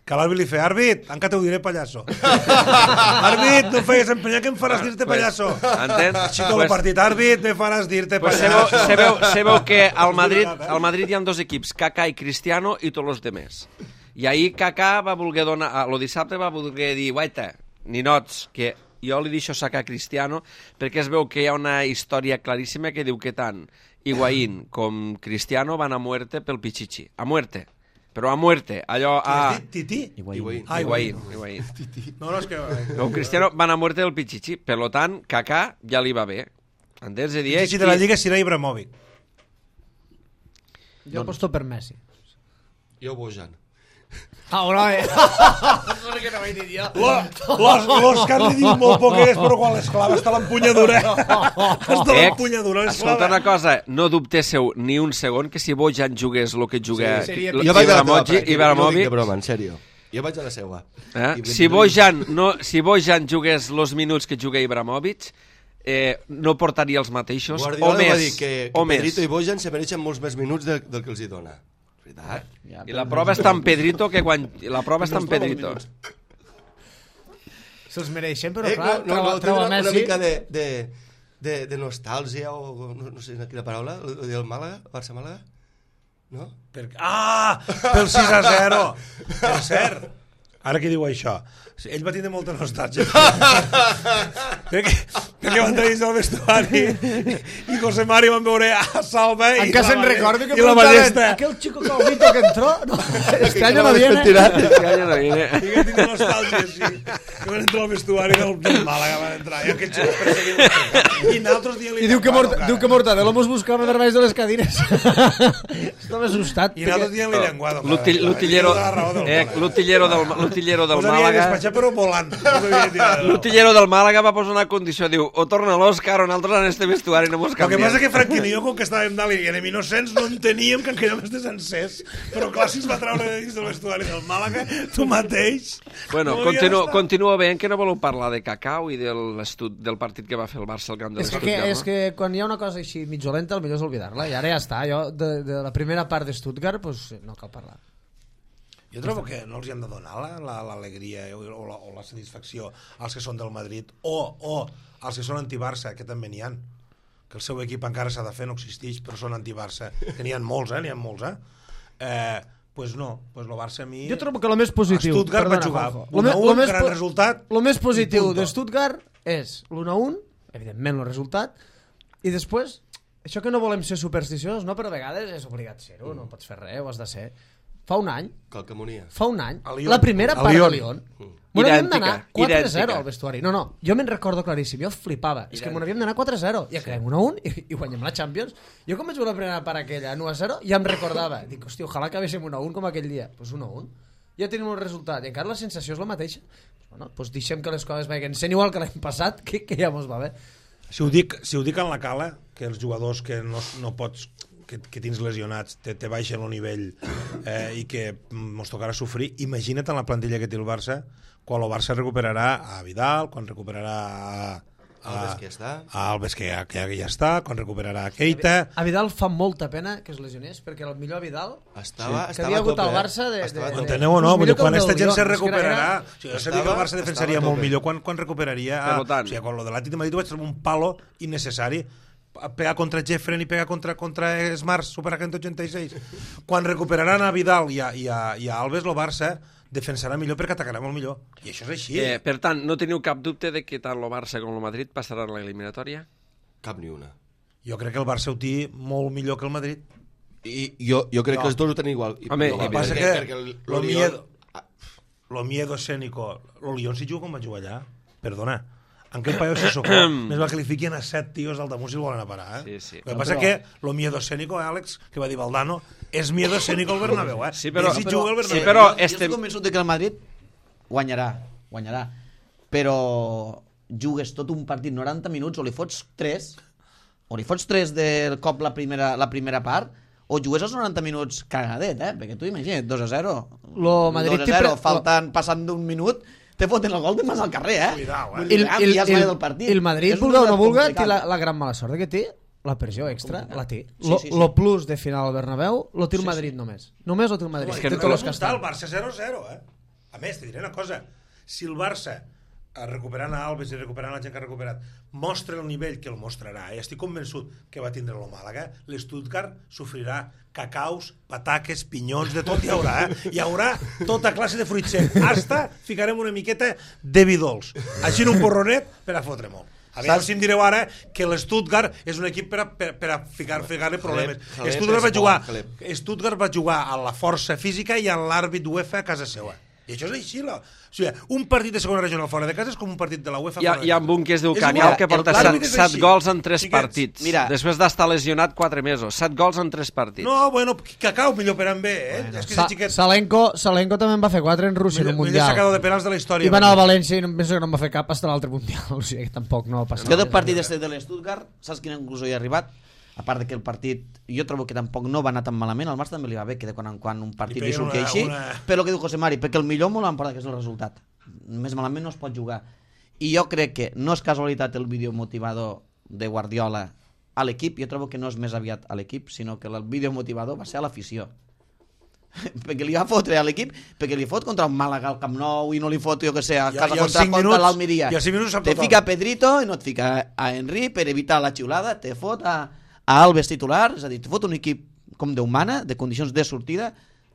Que l'àrbit li feia, àrbit, encara t'ho diré, pallasso. Àrbit, no fegues empenyar que em faràs dir-te, pallasso. Entens? Així tot el partit, àrbit, me faràs dir-te, Pues pallasso. sabeu que al Madrid hi ha dos equips, Kaká i Cristiano i tots els demés. I ahir Kaká va voler donar, lo dissabte va voler dir, guaita, ninots, que jo li deixo sacar a Cristiano, perquè es veu que hi ha una història claríssima que diu que tant Higuaín com Cristiano van a muerte pel Pichichi. A muerte. Però a muerte. Allò Has a... dit Titi? Higuaín. Ah, Higuaín. No, no, és que... El Cristiano van a muerte del Pichichi. Per lo tant, Kaká ja li va bé. Entens? És a dir, Titi de la Lliga serà Ibrahimovic. Jo aposto per Messi. Jo Bojan. Ah, no, no sé què no ho he dit jo. L'Òscar li diu molt poquet, però quan l'esclava està l'empunyadura. Està l'empunyadura, escolta una l'esclava. cosa, no dubtéssiu ni un segon que si Bojan jugués el que juga Sí, seria Jo vaig a la teva part, jo ho dic Ibrahimovic, de broma, en sèrio. Jo vaig a la seua. si Bojan jugués els minuts que juga Ibrahimovic, no portaria els mateixos, Guardiola o més, va dir que o més. Pedrito i Bojan se mereixen molts més minuts del que els hi dona. Veritat? I la prova està en Pedrito, que quan... La prova està en Pedrito. Se'ls mereixen, però clar, no, treu a una Messi. mica de nostàlgia o no sé quina paraula, del Màlaga, Barça-Màlaga? No? Pel 6-0. Per cert, ara que diu això, ell va tindre molta nostàlgia. perquè van tenir el vestuari i José Mari van veure a Salva i encara se'n recordo que la ballesta. aquel chico calvito que entró, no, este año no viene. Este año no viene. I que tindre nostàlgia, sí. Que van entrar al vestuari del Màlaga, van entrar, i aquell xico perseguint. I nosaltres dient-li... I diu que Mortadelo mos buscava per baix de les cadires. Estava assustat. I nosaltres dient-li llenguado. L'utillero del Us havia Màlaga... despatxat però volant. L'utillero del Màlaga va posar una condició, diu, o torna l'Òscar o nosaltres en este vestuari no mos El que canviem. passa que Franquín i jo, com que estàvem dalt i érem innocents, no enteníem que en quedàvem estes sencers. Però clar, si es va treure de dins del vestuari del Màlaga, tu mateix... Bueno, no havia d'estar. continuo veient que no voleu parlar de Cacau i del partit que va fer el Barça al camp de l'Stuttgart, És que quan hi ha una cosa així mig dolenta, el millor és oblidar-la. I ara ja està. Jo, de la primera part de Stuttgart, pues, no cal parlar. Jo trobo que no els hi han de donar l'alegria o la satisfacció als que són del Madrid o als que són anti-Barça, que també n'hi ha. Que el seu equip encara s'ha de fer, no existeix, però són anti-Barça. Que n'hi ha molts, pues no, pues el Barça a mi... Jo trobo que el més positiu... A Stuttgart va jugar 1-1, gran resultat... El més positiu de Stuttgart és l'1-1, evidentment el resultat, i després, això que no volem ser supersticiosos, no, però a vegades és obligat ser-ho, no pots fer res, ho has de ser. Fa un any, la primera part de Lyon, bueno, havíem d'anar 4-0 al vestuari. No, jo me'n recordo claríssim, jo flipava. És que m'havíem d'anar 4-0, i acabem 1-1 i guanyem la Champions. Jo com vaig veure la primera part aquella 1-0, ja em recordava. Dic, hòstia, ojalà acabéssim 1-1 com aquell dia. Doncs 1-1. Ja tenim el resultat, i encara la sensació és la mateixa. Bueno, doncs deixem que les coses vagin sent igual que l'any passat, que ja mos va bé. Si ho dic en la cala, que els jugadors que no pots... que tens lesionats, te baixen el nivell i que mos tocarà sofrir, imagina't en la plantilla que té el Barça quan el Barça recuperarà a Vidal, quan recuperarà a Alves que ja està, quan recuperarà a Keita. A Vidal fa molta pena que es lesionés, perquè el millor Vidal estava que havia hagut al Barça enteneu o no? Vull dir, quan aquesta gent se recuperarà, jo sabia que el Barça defensaria molt millor quan recuperaria o sigui, quan lo de l'Atlètic de Madrid vaig trobar un palo innecessari pegar contra Jeffren i pegar contra Smart Superagent 86. Quan recuperaran a Vidal i a Alves, el Barça defensarà millor perquè atacarà molt millor. I això és així. Per tant, no teniu cap dubte de que tant el Barça com el Madrid passaran a l'eliminatòria? Cap ni una. Jo crec que el Barça ho té molt millor que el Madrid. I jo crec que els dos ho tenen igual. Home, el que passa que lo miedo escénico, el Lyon si juga com va jugar allà, perdona, en quel paio se socó, més va que li fiquin a 7 tios al damunt si el volen a parar, Sí. El que passa que lo miedo escénico, Àlex, que va dir Valdano, és miedo escénico al Bernabéu, Sí, però juga al Bernabéu. però jo estic convençut que el Madrid guanyarà, però jugues tot un partit 90 minuts o li fots 3 del cop la primera part, o jugues els 90 minuts cagadet, perquè tu imagina't, 2-0 passant d'un minut te foten el gol de mas al carrer, Cuidao, el partit. El Madrid, vulga o no vulga, té la gran mala sort que té la pressió extra, la té. Lo plus de final al Bernabéu lo té el Madrid només. Només lo té el Madrid. És que el Barça 0-0, A més, te diré una cosa. Si el Barça, recuperant a Alves i recuperant la gent que ha recuperat, mostra el nivell que el mostrarà, i estic convençut que va tindre el Màlaga, l'Stuttgart sofrirà cacaus, pataques, pinyons, de tot hi haurà, Hi haurà tota classe de fruit sec. Hasta ficarem una miqueta de vi dolç. Així en un porronet per a fotre molt. A veure si em direu ara que l'Stuttgart és un equip per a ficar-li problemes. Stuttgart va jugar a la força física i a l'àrbit UEFA a casa seva. I això és així. O sigui, un partit de segona regional fora de casa és com un partit de la UEFA fora de casa. Hi ha un que es diu Canial que porta 7 gols en 3 partits. Després d'estar lesionat 4 mesos. 7 gols en 3 partits. No, bueno, Cacau millor per amb bé, Salenko també en va fer 4 en Rússia en un mundial. Millor sacador de penals de la història. I va anar al València i penso que no en va fer cap fins a l'altre mundial. O sigui, que tampoc no va passar. Jo del partit de l'Stuttgart, saps quina conclusió hi ha arribat? A part de que el partit, jo trobo que tampoc no va anar tan malament, al Barça també li va bé que de quan en quan un partit li surti així, però el que diu José Mari, perquè el millor molt l'emporta, que és el resultat. Més malament no es pot jugar. I jo crec que no és casualitat el vídeo motivador de Guardiola a l'equip, jo trobo que no és més aviat a l'equip, sinó que el vídeo motivador va ser a l'afició. Perquè li va fotre a l'equip, perquè li fot contra un Màlaga al Camp Nou i no li fot, jo que sé, a casa contra l'Almeria. Te fica Pedrito i no et fica a Henry per evitar la xiulada, te fot a Alves titular, és a dir, te fot un equip com Déu mana, de condicions de sortida,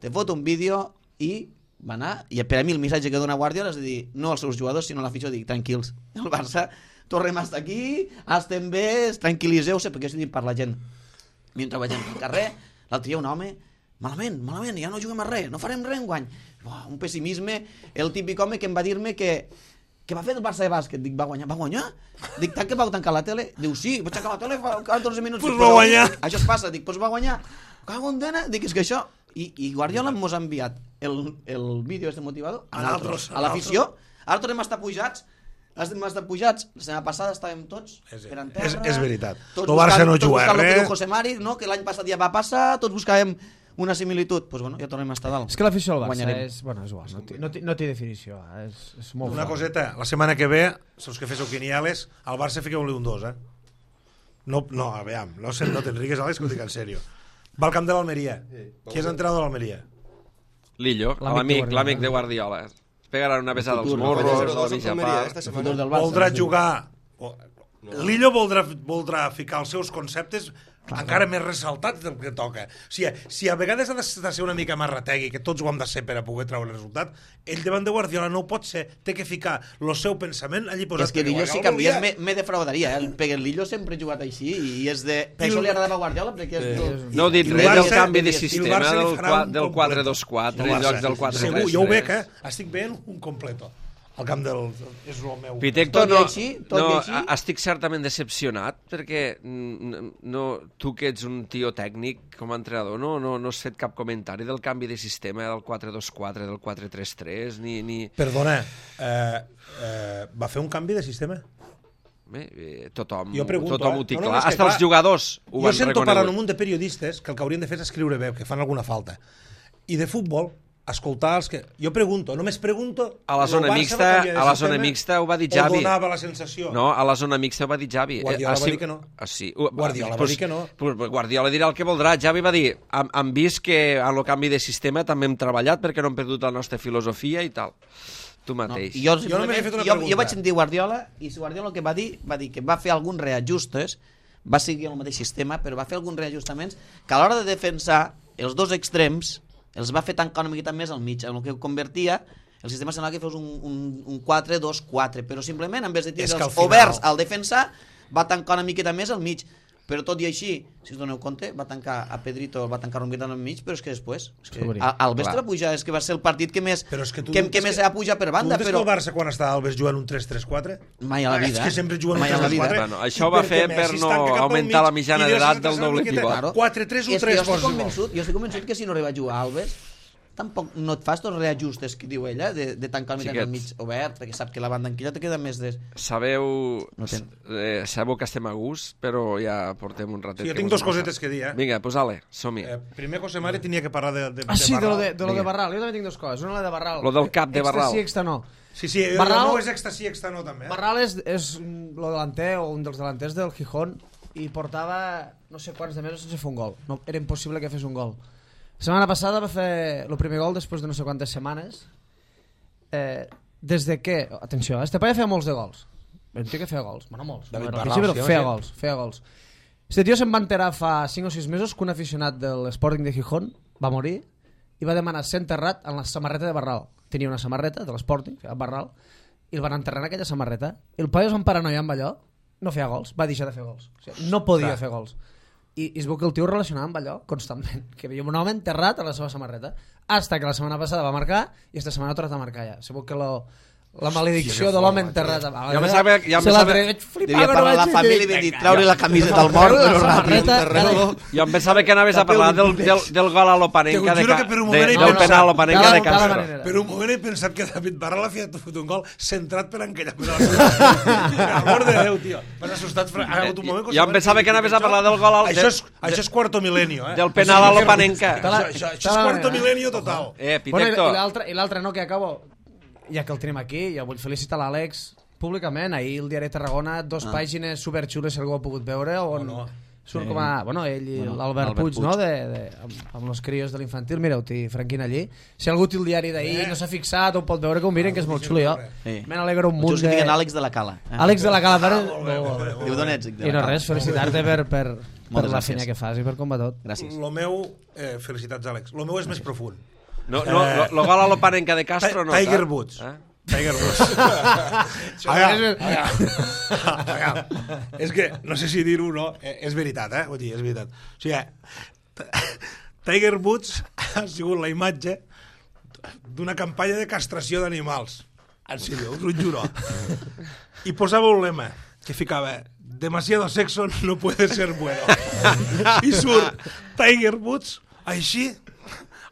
te fot un vídeo i va anar, i per a mi el missatge que dona Guardiola és de dir, no als seus jugadors sinó a l'afició, dic, tranquils, el Barça tornem a estar aquí, estem bé, tranquil·liseu-se, perquè estic per la gent. Mentre vegem al carrer, l'altre dia un home, malament, ja no juguem a res, no farem res enguany. Un pessimisme, el típic home que em va dir-me que va fer el Barça de bàsquet. Dic, va guanyar? Dic, tant que vau tancar la tele? Diu, sí, vaig tancar la tele fa 14 minuts. Pues va guanyar. Això es passa, dic, pues va guanyar. Cago en dena, dic, és que això... I Guardiola mos ha enviat el vídeo este motivador a l'afició. Ara tornem a estar pujats. La setmana passada estàvem tots per en terra. És veritat. El Barça no juga res. res. José Mari, no? Que l'any passat ja va passar, tots buscàvem una similitud. Pues bueno, ja tornem a estar dalt. És que l'afició al Barça Guanyarem. és igual, no té definició. És molt Una fort. coseta, la setmana que ve, els que féssiu quinieles, al Barça fiqueu-li un 2, No, aviam, no t'enrigues, Àlex, que ho dic en sèrio. Va al camp de l'Almeria. Qui és entrenador de l'Almeria? Lillo, l'amic de Guardiola. Pegaran una pesada als morros, a la mitja part. Voldrà jugar... Lillo voldrà ficar els seus conceptes encara més ressaltats del que toca. Si a vegades ha de ser una mica marrategui, que tots ho hem de ser per a poder treure el resultat, ell davant de Guardiola no ho pot ser, té que ficar el seu pensament allí posat. És que Lillo si canvies me defraudaria, perquè el Lillo sempre ha jugat així i és de... Per això li agradava a Guardiola, perquè és... No heu dit res del canvi de sistema del 4-2-4 en lloc del 4-3-3. Segur, jo ho veig, estic veient un completo. El camp del... és el meu... Pitecto, Tot i així, estic certament decepcionat perquè tu que ets un tio tècnic com a entrenador no has fet cap comentari del canvi de sistema del 4-2-4, del 4-3-3 ni... Perdona, va fer un canvi de sistema? Tothom ho ho té clar. Hasta els jugadors ho van reconegut. Jo sento parlant un munt de periodistes que el que haurien de fer és escriure bé, que fan alguna falta. I de futbol, escoltar els que... Jo pregunto, només pregunto... A la zona mixta ho va dir Xavi. O donava la sensació? No, a la zona mixta ho va dir Xavi. Guardiola va dir que no. Sí. Guardiola va dir que no. Guardiola dirà el que voldrà. Xavi va dir, hem vist que en el canvi de sistema també hem treballat perquè no hem perdut la nostra filosofia i tal. Tu mateix. Jo vaig sentir Guardiola i Guardiola el que va dir que va fer alguns reajustes, va seguir el mateix sistema, però va fer alguns reajustaments que a l'hora de defensar els dos extrems els va fer tancar una miqueta més al mig, en el que convertia el sistema semblava que fos un 4-2-4, però simplement en vez de tirar oberts al defensar va tancar una miqueta més al mig, però tot i així, si us doneu compte, va tancar a Pedrito, va tancar una miqueta al mig, però és que després Alves va pujar, és que va ser el partit que més ha pujat per banda. Tu que el Barça quan estava Alves jugant un 3-3-4? Mai a la vida. És que sempre juguen un 3-3-4. Això ho va fer per no augmentar la mitjana d'edat del doble pivot. 4-3-1-3 jo estic convençut que si no arriba a jugar Alves tampoc no et fas tots els reajustes que diu ella de tancar el mitjà al mig obert perquè sap que la banda enquilla te queda més de... Sabeu que estem a gust, però ja portem un ratet. Jo tinc dos cosetes que dir, Vinga, posa'le, som-hi. Primer José Mari tenia que parlar de Barral. De lo de Barral, jo també tinc dues coses. Una la de Barral. Lo del cap de Barral. Extra sí, extra no. Sí, no és extra sí, extra no també. Barral és lo delanter o un dels delanters del Gijón i portava no sé quants de mesos sense fer un gol. No, era impossible que fes un gol. La setmana passada va fer el primer gol després de no sé quantes setmanes. Des de que... Atenció, este paia feia molts de gols. Un tio que feia gols. Bueno, molts. Però feia gols. Este tio se'n va enterar fa 5 o 6 mesos que un aficionat de l'Sporting de Gijón va morir i va demanar ser enterrat en la samarreta de Barral. Tenia una samarreta de l'Sporting, feia Barral, i el van enterrar en aquella samarreta. El paia es van paranoiar amb allò, no feia gols, va deixar de fer gols. O sigui, no podia fer gols. I es veu que el tio relacionava amb allò constantment, que veia un home enterrat a la seva samarreta, hasta que la setmana passada va marcar i esta setmana ha tornat a marcar ja. Se veu que la maledicció de l'home enterrat ja me sabe devia parlar la família i va dir treure la camisa del mort jo em pensava que anaves a parlar del gol a l'Opanenca del penal a l'Opanenca de Castro. Per un moment he pensat que David Barral havia fotut un gol centrat per encallar per amor de Déu, tio, m'has assustat. Jo em pensava que anaves a parlar del gol això és quarto milenio del penal a l'Opanenca. Això és quarto milenio total. Pitecto. I l'altre no, que acabo, ja que el tenim aquí, jo vull felicitar l'Àlex públicament. Ahir el diari Tarragona, 2 pàgines superxules, si algú ha pogut veure, on surt com a... Bueno, ell i l'Albert Puig, no? Amb els crios de l'infantil. Mireu-t'hi, Franquina, allí. Si algú té el diari d'ahir, no s'ha fixat, ho pot veure, que ho miren, que és molt xulo, jo. Me n'alegro un munt de... Diuen Àlex de la Cala. Àlex de la Cala. Diu d'on ets? I no res, felicitar-te per la feina que fas i per com va tot. Gràcies. Lo meu, felicitats, Àlex, lo meu és més profund. No, lo gol a l'Opanenca de Castro no. Tiger Woods. Tiger Woods. És que, no sé si dir-ho o no, és veritat, Vull dir, és veritat. O sigui, Tiger Woods ha sigut la imatge d'una campanya de castració d'animals. En sèrio, us ho juro. I posava un lema que ficava: demasiado sexo no puede ser bueno. I surt Tiger Woods així,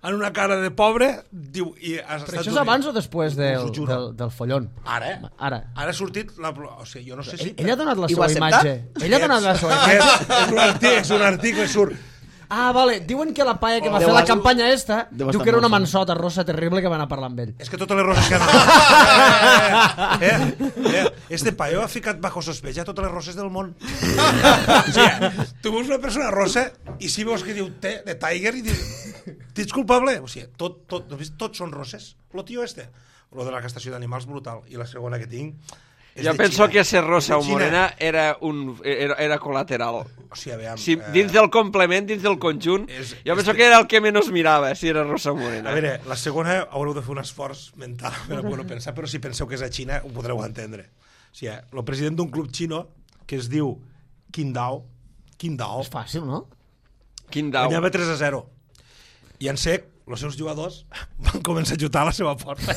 en una cara de pobre, diu... Però això és abans o després del follon? Ara. Ara Ha sortit... O sigui, jo no sé si... Ell ha donat la seva imatge. Ell ha donat la seva imatge. És un article, surt... Ah, vale. Diuen que la paia que va fer la campanya esta diu que era una mansota rossa terrible que va anar a parlar amb ell. És que totes les roses que han... Este paio ha ficat bajo sospecha totes les roses del món. O sigui, tu veus una persona rossa i si veus que diu T de Tiger i dius, t'ets culpable? O sigui, tots són roses. Lo tio este. Lo de la castració d'animals brutal. I la segona que tinc... Jo penso que ser rosa o morena era col·lateral. O sigui, aviam... Si dins del complement, dins del conjunt, jo penso que era el que menys mirava, si era rosa o morena. A veure, la segona haureu de fer un esforç mental per poder pensar, però si penseu que és a Xina ho podreu entendre. O sigui, el president d'un club xino que es diu Qingdao. És fàcil, no? Qingdao. Guanyava 3-0. I en sec, els seus jugadors van començar a xutar a la seva porta.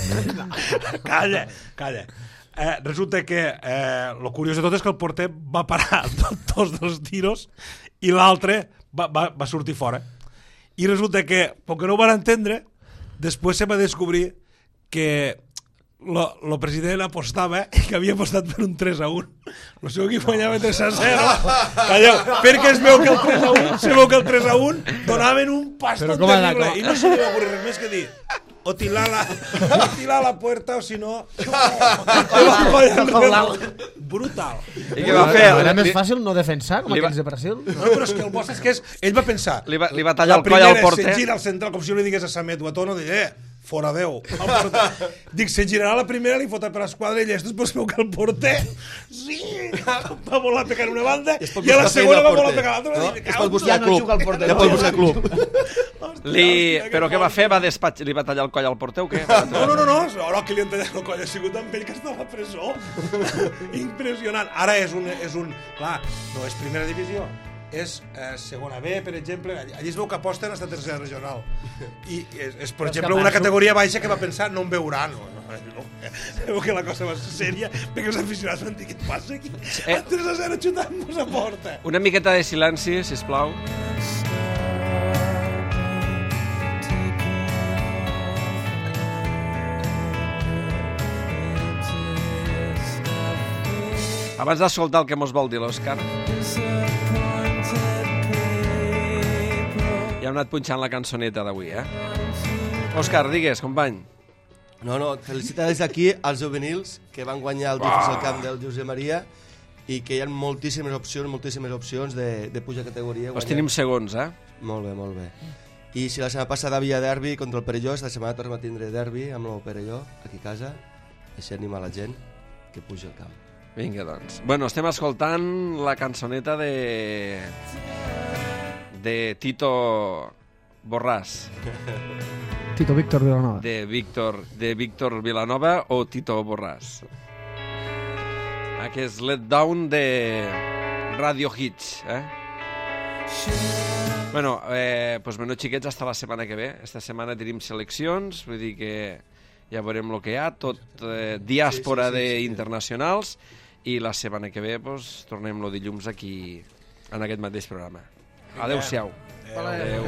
Calla. Resulta que el curiós de tot és que el porter va parar dos dels tiros i l'altre va sortir fora. I resulta que, com que no ho van entendre, després se va descobrir que el president apostava i que havia apostat per un 3-1. El seu equip guanyava 3-0. Calleu, perquè es veu que el 3-1 donaven un paston terrible. I no se li va ocurrir res més que dir o tirar la puerta o si no brutal. I què va fer? Era més fàcil no defensar com aquells de Brasil. No, però és que el bo és que ell va pensar, li va tallar el coll al porter. Se gira al central com si li digués a Samet Guatono, fora Déu. Dic, se girarà la primera, li fota per l'esquadra i després veu que el porter va voler pegar una banda i a la segona va voler pegar l'altra. Es pot buscar club. Ja pot buscar club. Però què va fer? Li va tallar el coll al porter o què? No, ara que li han tallat el coll ha sigut amb ell que està a la presó. Impressionant. Ara és un... Clar, no és primera divisió, és segona B, per exemple. Allí es veu que aposten hasta tercera regional. I és per exemple, una categoria baixa que va pensar no em veuran. Veu que la cosa va ser sèria, perquè els aficionats van dir, què et passa aquí? 3-0 xutant-nos a porta. Una miqueta de silenci, sisplau. Abans d'escoltar el que mos vol dir l'Òscar, ja hem anat punxant la cançoneta d'avui, Òscar, digues, company. No, felicitar des d'aquí als juvenils que van guanyar el difícil camp del Josep Maria i que hi ha moltíssimes opcions de pujar categoria. Els tenim segons, Molt bé. I si la setmana passada havia derbi contra el Perelló, esta setmana tornem a tindre derbi amb el Perelló, aquí a casa, així animar la gent que puja al camp. Vinga, doncs. Bueno, estem escoltant la cançoneta de Tito Borràs. Tito Víctor Vilanova. De Víctor Vilanova o Tito Borràs. Que és Let Down de Radio Hits, Bueno, pues menys xiquets, hasta la setmana que ve. Esta setmana tenim seleccions, vull dir que ja veurem el que hi ha, tot diàspora d'internacionals, i la setmana que ve pues, tornem el dilluns aquí en aquest mateix programa. Adéu-siau. Adéu.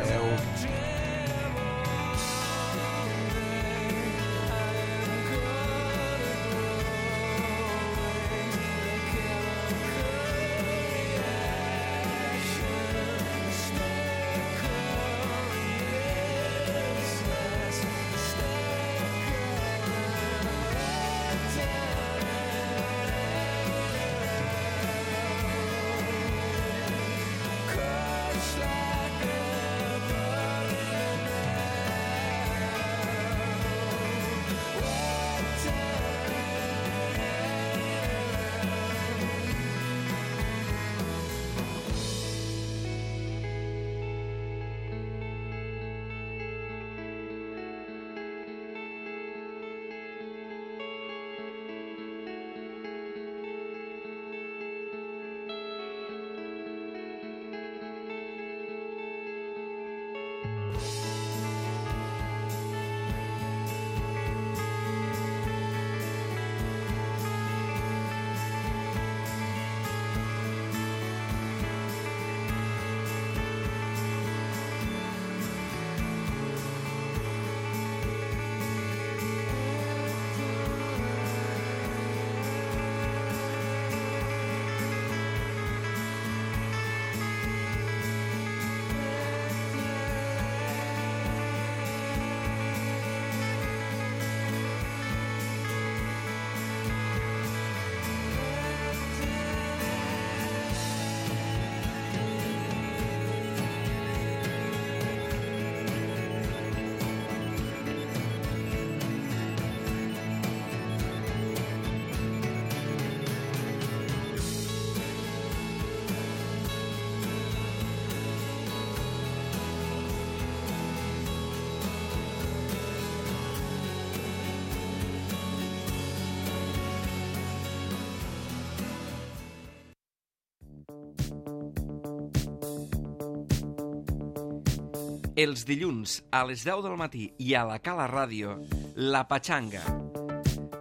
Els dilluns a les 10 del matí i a la Cala Ràdio, La Patxanga.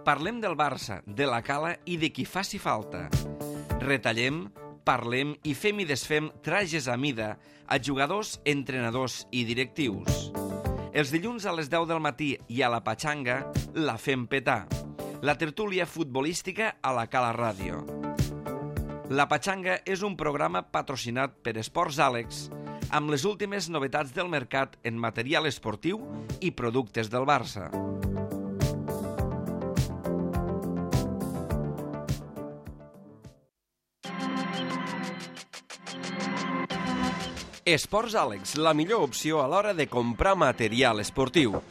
Parlem del Barça, de la Cala i de qui faci falta. Retallem, parlem i fem i desfem trajes a mida a jugadors, entrenadors i directius. Els dilluns a les 10 del matí i a La Patxanga la fem petar. La tertúlia futbolística a la Cala Ràdio. La Patxanga és un programa patrocinat per Esports Àlex amb les últimes novetats del mercat en material esportiu i productes del Barça. Esports Àlex, la millor opció a l'hora de comprar material esportiu.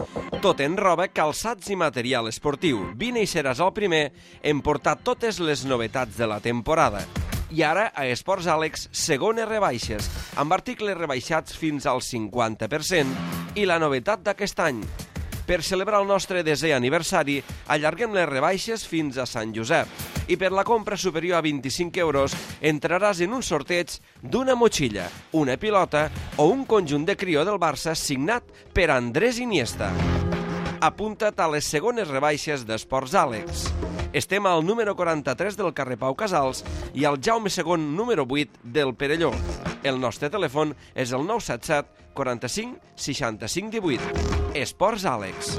Tot en roba, calçats i material esportiu. Vine i seràs el primer en portar totes les novetats de la temporada. I ara, a Esports Àlex, segones rebaixes, amb articles rebaixats fins al 50%. I la novetat d'aquest any. Per celebrar el nostre 10è aniversari, allarguem les rebaixes fins a Sant Josep. I per la compra superior a 25 euros entraràs en un sorteig d'una motxilla, una pilota o un conjunt de crió del Barça signat per Andrés Iniesta. Apunta't a les segones rebaixes d'Esports Àlex. Estem al número 43 del carrer Pau Casals i al Jaume II número 8 del Perelló. El nostre telèfon és el 977 45 65 18. Esports Àlex.